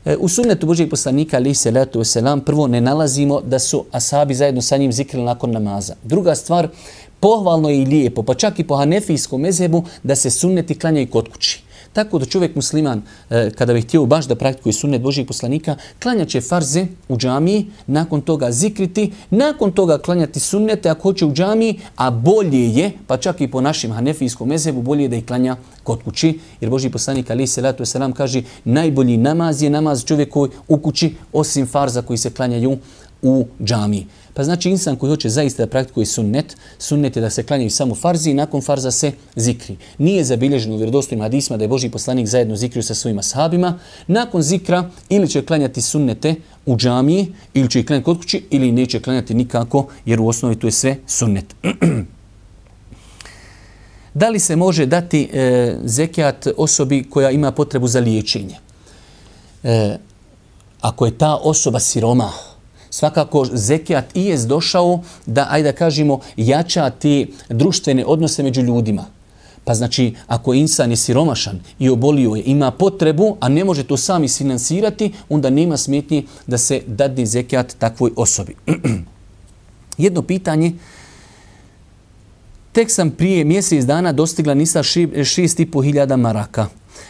E, u sunnetu Božijeg poslanika, alejhi salatu vesselam, prvo ne nalazimo da su ashabi zajedno sa njim zikrili nakon namaza. Druga stvar, pohvalno je i lijepo, pa čak i po hanefijskom mezhebu, da se sunneti klanjaju kod kući. Tako da čovjek musliman, kada bi htio baš da praktikuje sunnet Božijeg poslanika, klanjaće farze u džamiji, nakon toga zikriti, nakon toga klanjati sunnete ako hoće u džamiji, a bolje je, pa čak i po našim hanefijskom mezhebu, bolje je da ih klanja kod kući, jer Božji poslanik alejhi salatu vesselam kaže najbolji namaz je namaz čovjeku u kući, osim farza koji se klanjaju u džamiji. Pa znači insan koji hoće zaista da praktikuje sunnet, sunnet je da se klanjaju samo farzi i nakon farza se zikri. Nije zabilježeno u vjerodostojnim hadisima da je Božji poslanik zajedno zikrio sa svojim ashabima. Nakon zikra ili će klanjati sunnete u džamiji, ili će ih klanjati kod kući, ili neće klanjati nikako, jer u osnovi to je sve sunnet. Da li se može dati e, zekijat osobi koja ima potrebu za liječenje? E, ako je ta osoba siroma, svakako zekijat i je došao da, ajde da kažemo, jača te društvene odnose među ljudima. Pa znači, ako insan je siromašan i obolio je, ima potrebu, a ne može to sam isfinansirati, onda nema smetnje da se dadne zekijat takvoj osobi. Jedno pitanje. Tek sam prije mjesec dana dostigla nisa šest i po hiljada maraka.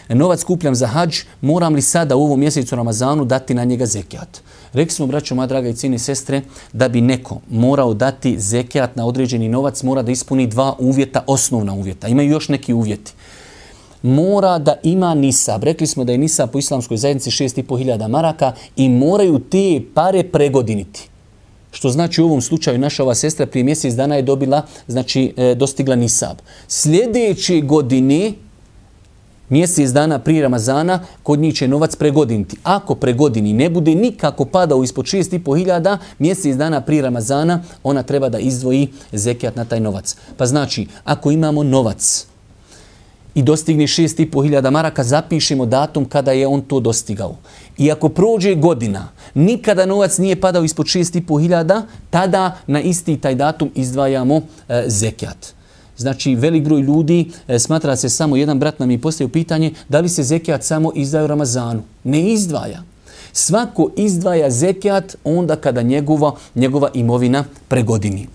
Novac kupljam za hadž, moram li sada u ovom mjesecu Ramazanu dati na njega zekijat? Rekli smo, braćo, moja draga i cijene sestre, da bi neko morao dati zekijat na određeni novac, mora da ispuni dva uvjeta, osnovna uvjeta. Imaju još neki uvjeti. Mora da ima nisab. Rekli smo da je nisab po islamskoj zajednici šest i po hiljada maraka i moraju te pare pregodiniti. Što znači u ovom slučaju naša ova sestra prije mjesec dana je dobila, znači dostigla nisab. Sljedeće godine, mjesec dana prije Ramazana, kod njih će novac pregodiniti. Ako pregodini ne bude nikako padao ispod šest i po hiljada, mjesec dana prije Ramazana, ona treba da izdvoji zekijat na taj novac. Pa znači, ako imamo novac i dostigne šest i po hiljada maraka, zapišemo datum kada je on to dostigao. I ako prođe godina, nikada novac nije padao ispod šest i po hiljada, tada na isti taj datum izdvajamo e, zekijat. Znači, velik broj ljudi, e, smatra se samo, jedan brat nam je postavio pitanje, da li se zekijat samo izdaje u Ramazanu? Ne izdvaja. Svako izdvaja zekijat onda kada njegova, njegova imovina pregodini.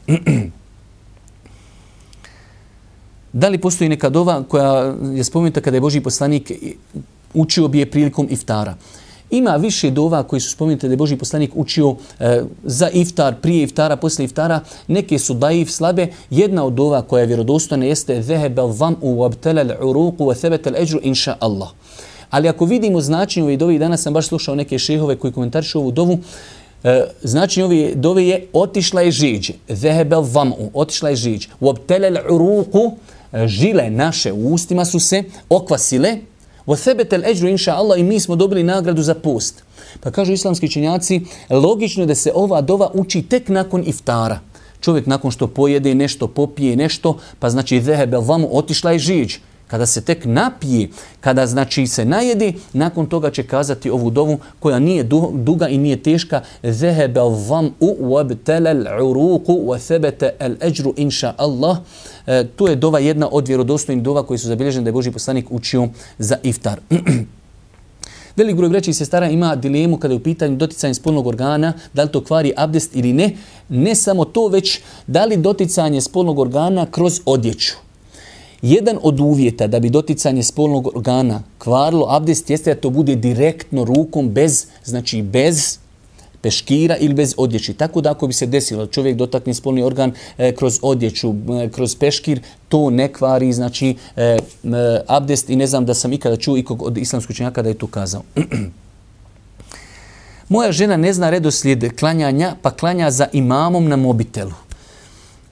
Da li postoji neka dova koja je spomenuta kada je Božji poslanik učio bi je prilikom iftara? Ima više dova koji su spomenute da je Božji poslanik učio e, za iftar, prije iftara, poslije iftara. Neke su daif, slabe. Jedna od dova koja je vjerodostojna jeste Zehebel vam u wabtelel uruku wa thebetel eđru inša Allah. Ali ako vidimo značenje ove dove, danas sam baš slušao neke šehove koji komentarišu ovu dovu, e, značenje ove dove je otišla je žiđ. Zehebel vam u, otišla je žiđ. Wabtelel uruku, žile naše u ustima su se okvasile. وَثَبَتَ الْأَجْرُ inša Allah, i mi smo dobili nagradu za post. Pa kažu islamski učenjaci, logično je da se ova dova uči tek nakon iftara. Čovjek nakon što pojede nešto, popije nešto, pa znači ذَهَبَ الْوَمُ, otišla je žiđ. kada se tek napije, kada znači se najedi, nakon toga će kazati ovu dovu koja nije duga i nije teška. Zehebe al-zam'u wabtala al-uruqu wa thabata al-ajru insha Allah. E, to je dova jedna od vjerodostojnih dova koji su zabilježene da je Božji poslanik učio za iftar. Velik broj braće i sestara ima dilemu kada je u pitanju doticanje spolnog organa, da li to kvari abdest ili ne. Ne samo to, već da li doticanje spolnog organa kroz odjeću. Jedan od uvjeta da bi doticanje spolnog organa kvarilo abdest jeste da to bude direktno rukom bez, znači bez peškira ili bez odjeći. Tako da ako bi se desilo da čovjek dotakne spolni organ e, kroz odjeću, e, kroz peškir, to ne kvari, znači e, e, abdest i ne znam da sam ikada čuo ikog od islamskog učenjaka da je to kazao. Moja žena ne zna redoslijed klanjanja, pa klanja za imamom na mobitelu.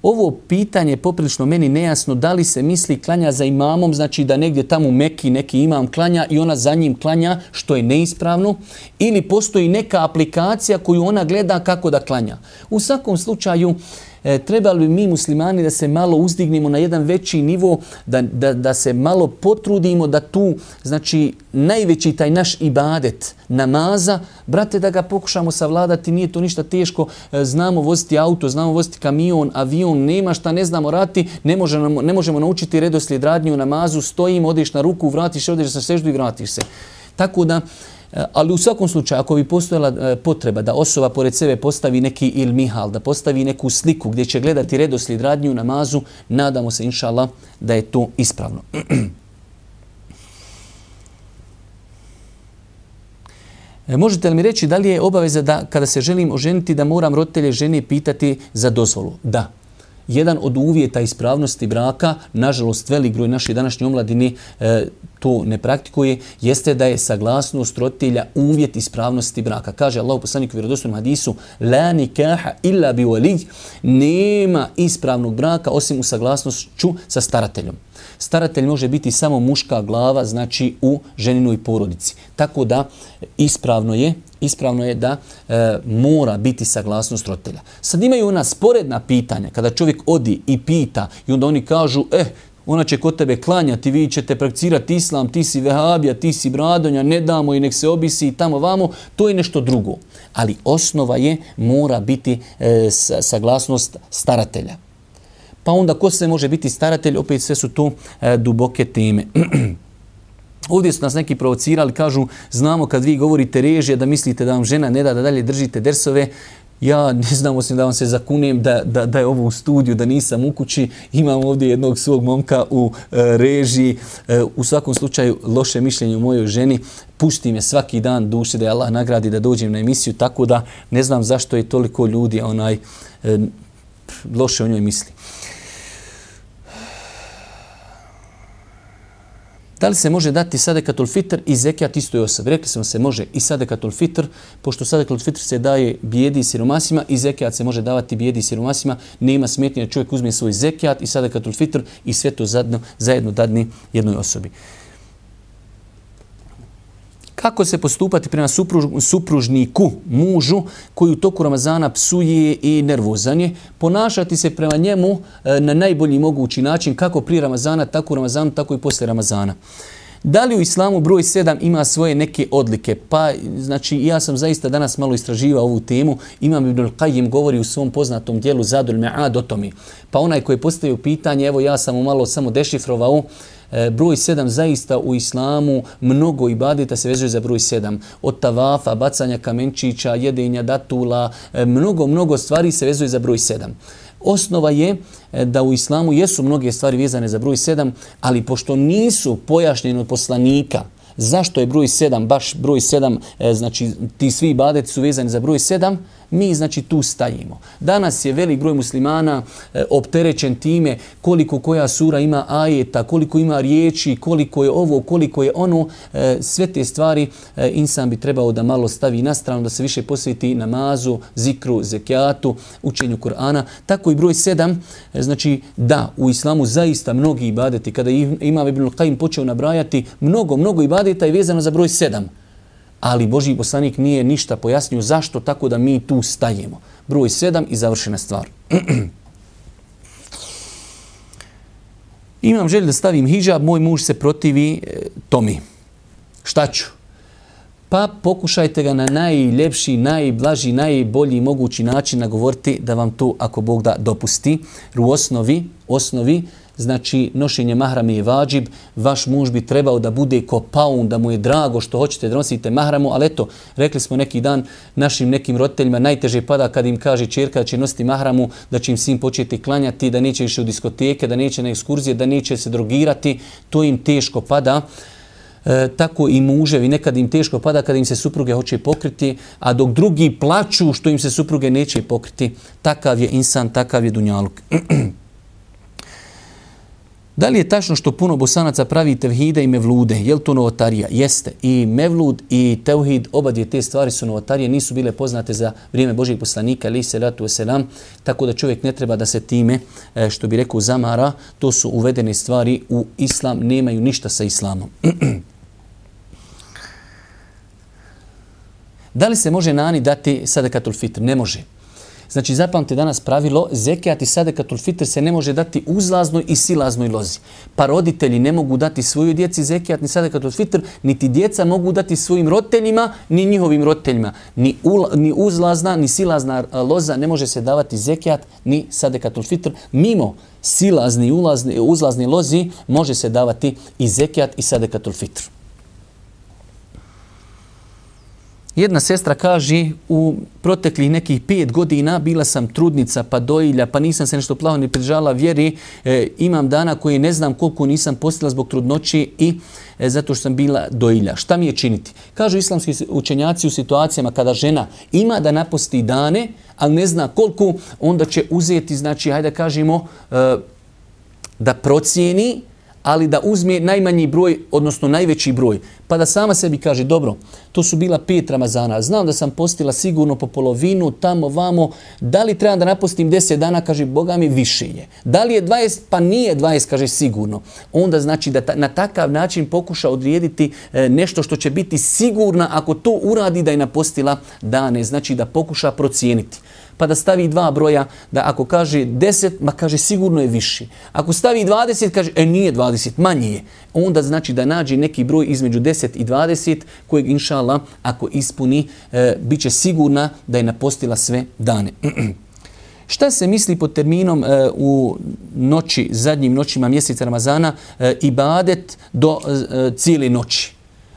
Ovo pitanje je poprilično meni nejasno, da li se misli klanja za imamom, znači da negdje tamo u Meki neki imam klanja i ona za njim klanja, što je neispravno, ili postoji neka aplikacija koju ona gleda kako da klanja. U svakom slučaju, e, trebali bi mi muslimani da se malo uzdignemo na jedan veći nivo, da, da, da se malo potrudimo da tu, znači, najveći taj naš ibadet namaza, brate, da ga pokušamo savladati, nije to ništa teško, e, znamo voziti auto, znamo voziti kamion, avion, nema šta, ne znamo rati, ne možemo, ne možemo naučiti redoslijed radnje u namazu, stojimo, odeš na ruku, vratiš se, odeš na seždu i vratiš se. Tako da, ali u svakom slučaju, ako bi postojala potreba da osoba pored sebe postavi neki ilmihal, da postavi neku sliku gdje će gledati redoslijed radnje u namazu, nadamo se, inša Allah, da je to ispravno. Možete li mi reći da li je obaveza da kada se želim oženiti da moram roditelje žene pitati za dozvolu? Da. Jedan od uvjeta ispravnosti braka, nažalost velik broj naše današnje omladine e, to ne praktikuje, jeste da je saglasnost roditelja uvjet ispravnosti braka. Kaže Allah poslanik u vjerodostojnom hadisu: la nikaha illa bi wali, nema ispravnog braka osim u saglasnošću sa starateljom. Staratelj može biti samo muška glava, znači u ženinoj porodici. Tako da ispravno je, ispravno je da e, mora biti saglasnost roditelja. Sad imaju ona sporedna pitanja, kada čovjek odi i pita i onda oni kažu, eh, ona će kod tebe klanjati, vi ćete prakticirati islam, ti si vehabija, ti si bradonja, ne damo i nek se obisi i tamo vamo, to je nešto drugo. Ali osnova je, mora biti e, saglasnost staratelja. Pa onda ko se može biti staratelj, opet sve su to e, duboke teme. Ovdje su nas neki provocirali, kažu, znamo kad vi govorite režija da mislite da vam žena ne da da dalje držite dersove. Ja ne znam, osim da vam se zakunem da, da, da je ovo u studiju, da nisam u kući. Imam ovdje jednog svog momka u e, režiji. E, u svakom slučaju, loše mišljenje o mojoj ženi. Pušti me svaki dan duše da je Allah nagradi da dođem na emisiju, tako da ne znam zašto je toliko ljudi onaj e, loše o njoj misli. Da li se može dati sadekatul fitr i zekijat istoj osobi? Rekli smo se može i sadekatul fitr, pošto sadekatul fitr se daje bijedi i siromasima i zekijat se može davati bijedi i siromasima, nema smetnje da čovjek uzme svoj zekijat i sadekatul fitr i sve to zajedno, zajedno dadne jednoj osobi. Kako se postupati prema supruž, supružniku, mužu, koji u toku Ramazana psuje i nervozan je? Ponašati se prema njemu e, na najbolji mogući način, kako prije Ramazana, tako u Ramazanu, tako i poslije Ramazana. Da li u islamu broj sedam ima svoje neke odlike? Pa, znači, ja sam zaista danas malo istraživao ovu temu. Imam Ibn al-Qayyim govori u svom poznatom dijelu Zadul Me'ad o tome. Pa onaj koji je postavio pitanje, evo ja sam malo samo dešifrovao, broj sedam zaista u islamu mnogo ibadeta se vezuje za broj sedam. Od tavafa, bacanja kamenčića, jedenja datula, mnogo, mnogo stvari se vezuje za broj sedam. Osnova je da u islamu jesu mnoge stvari vezane za broj sedam, ali pošto nisu pojašnjene od poslanika zašto je broj sedam, baš broj sedam, znači ti svi ibadeti su vezani za broj sedam, mi znači tu stajimo. Danas je velik broj muslimana e, opterećen time koliko koja sura ima ajeta, koliko ima riječi, koliko je ovo, koliko je ono. E, sve te stvari e, insan bi trebao da malo stavi na stranu, da se više posveti namazu, zikru, zekijatu, učenju Kur'ana. Tako i broj sedam, e, znači da, u islamu zaista mnogi ibadeti, kada Imam Ibn al-Qayyim počeo nabrajati, mnogo, mnogo ibadeta je vezano za broj sedam. Ali Božji poslanik nije ništa pojasnio zašto, tako da mi tu stajemo. Broj sedam i završena stvar. Imam želju da stavim hidžab, moj muž se protivi e, tome. Šta ću? Pa pokušajte ga na najljepši, najblaži, najbolji mogući način nagovoriti da vam to, ako Bog da, dopusti. U osnovi, osnovi, znači nošenje mahrame je vađib, vaš muž bi trebao da bude ko paun, da mu je drago što hoćete da nosite mahramu, ali eto, rekli smo neki dan našim nekim roditeljima, najteže pada kad im kaže ćerka da će nositi mahramu, da će im sin početi klanjati, da neće više u diskoteke, da neće na ekskurzije, da neće se drogirati, to im teško pada. E, tako i muževi, nekad im teško pada kada im se supruge hoće pokriti, a dok drugi plaču što im se supruge neće pokriti, takav je insan, takav je dunjaluk. Da li je tačno što puno Bosanaca pravi tevhide i mevlude? Je li to novotarija? Jeste. I mevlud i tevhid, oba dvije te stvari su novotarije, nisu bile poznate za vrijeme Božijeg poslanika, alejhi selatu vesselam, tako da čovjek ne treba da se time, što bi rekao, zamara. To su uvedene stvari u islam, nemaju ništa sa islamom. Da li se može nani dati sadakatul fitr? Ne može. Znači, zapamte danas pravilo, zekijat i sadakatul fitr se ne može dati uzlaznoj i silaznoj lozi. Pa roditelji ne mogu dati svojoj djeci zekijat ni sadakatul fitr, niti djeca mogu dati svojim roditeljima, ni njihovim roditeljima. Ni, ula, ni uzlazna, ni silazna loza ne može se davati zekijat ni sadakatul fitr. Mimo silazni i ulazni, uzlazni lozi može se davati i zekijat i sadakatul fitr. Jedna sestra kaže, u proteklih nekih pet godina bila sam trudnica, pa dojilja, pa nisam se nešto plavo ni pridržala vjeri. E, imam dana koje ne znam koliko nisam postila zbog trudnoći i e, zato što sam bila dojilja. Šta mi je činiti? Kažu islamski učenjaci u situacijama kada žena ima da naposti dane, ali ne zna koliko, onda će uzeti, znači, hajde kažemo, e, da procijeni, ali da uzme najmanji broj, odnosno najveći broj. Pa da sama sebi kaže, dobro, to su bila pet Ramazana, znam da sam postila sigurno po polovinu, tamo, vamo, da li trebam da napostim deset dana, kaže, Boga mi više je. Da li je dvadeset, pa nije dvadeset, kaže, sigurno. Onda znači da ta, na takav način pokuša odrijediti e, nešto što će biti sigurna, ako to uradi da je napostila dane, znači da pokuša procijeniti. Pa da stavi dva broja, da ako kaže deset, ma kaže sigurno je viši. Ako stavi dvadeset, kaže e nije dvadeset, manje je. Onda znači da nađe neki broj između deset i dvadeset, kojeg inša Allah, ako ispuni, e, bit će sigurna da je napostila sve dane. Šta se misli pod terminom e, u noći, zadnjim noćima mjeseca Ramazana, e, ibadet do e, cijele noći?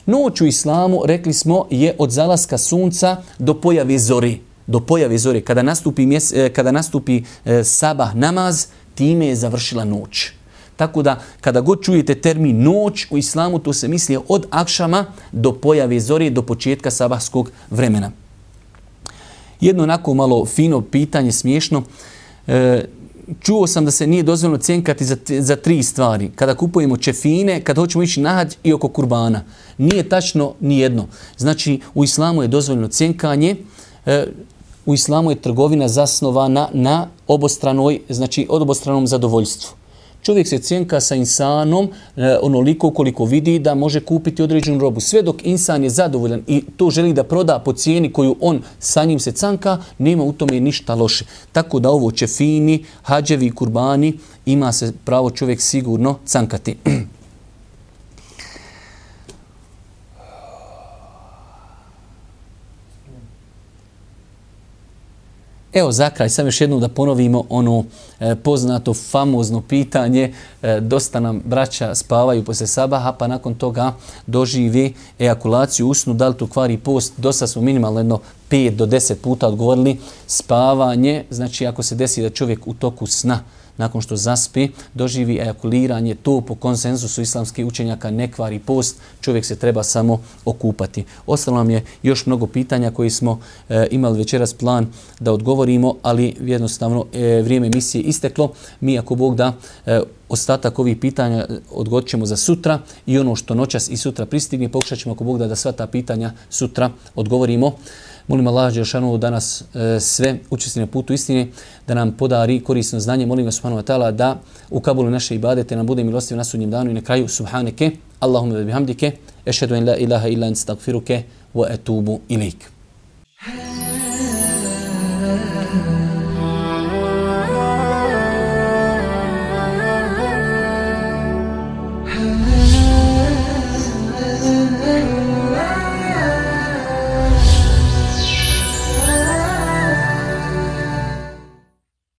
Noć u islamu, rekli smo, je od zalaska sunca do pojave zore. Do pojave zore. Kada nastupi, mjes, kada nastupi e, sabah namaz, time je završila noć. Tako da, kada god čujete termin noć u islamu, to se misli od akšama do pojave zore, do početka sabahskog vremena. Jedno onako malo fino pitanje, smiješno. E, čuo sam da se nije dozvoljeno cjenkati za, za tri stvari. Kada kupujemo čefine, kada hoćemo ići na hađ i oko kurbana. Nije tačno ni jedno. Znači, u islamu je dozvoljeno cjenkanje. E, u islamu je trgovina zasnovana na obostranoj, znači od obostranom zadovoljstvu. Čovjek se cjenka sa insanom e, onoliko koliko vidi da može kupiti određenu robu. Sve dok insan je zadovoljan i to želi da proda po cijeni koju on sa njim se canka, nema u tome ništa loše. Tako da ovo čefini, hađevi i kurbani ima se pravo čovjek sigurno cankati. Evo za kraj, sam još jednom da ponovimo ono e, poznato, famozno pitanje. E, dosta nam braća spavaju poslije sabaha, pa nakon toga doživi ejakulaciju usnu. Da li to kvari post? Dosta smo minimalno jedno pet do deset puta odgovorili. Spavanje, znači ako se desi da čovjek u toku sna, nakon što zaspi, doživi ejakuliranje, to po konsenzusu islamskih učenjaka ne kvari post, čovjek se treba samo okupati. Ostalo nam je još mnogo pitanja koji smo e, imali večeras plan da odgovorimo, ali jednostavno e, vrijeme emisije isteklo. Mi, ako Bog da, e, ostatak ovih pitanja odgodit ćemo za sutra i ono što noćas i sutra pristigne, pokušat ćemo, ako Bog da, da sva ta pitanja sutra odgovorimo. Molim Allah dželešanu da nas e, sve učesti na putu istine, da nam podari korisno znanje. Molim vas subhanahu wa ta'ala da u kabulu naše ibadete nam bude milostiv na sudnjem danu i na kraju subhaneke, Allahumma bihamdike, ešhedu en la ilaha illa ente, astagfiruke wa etubu ilejk.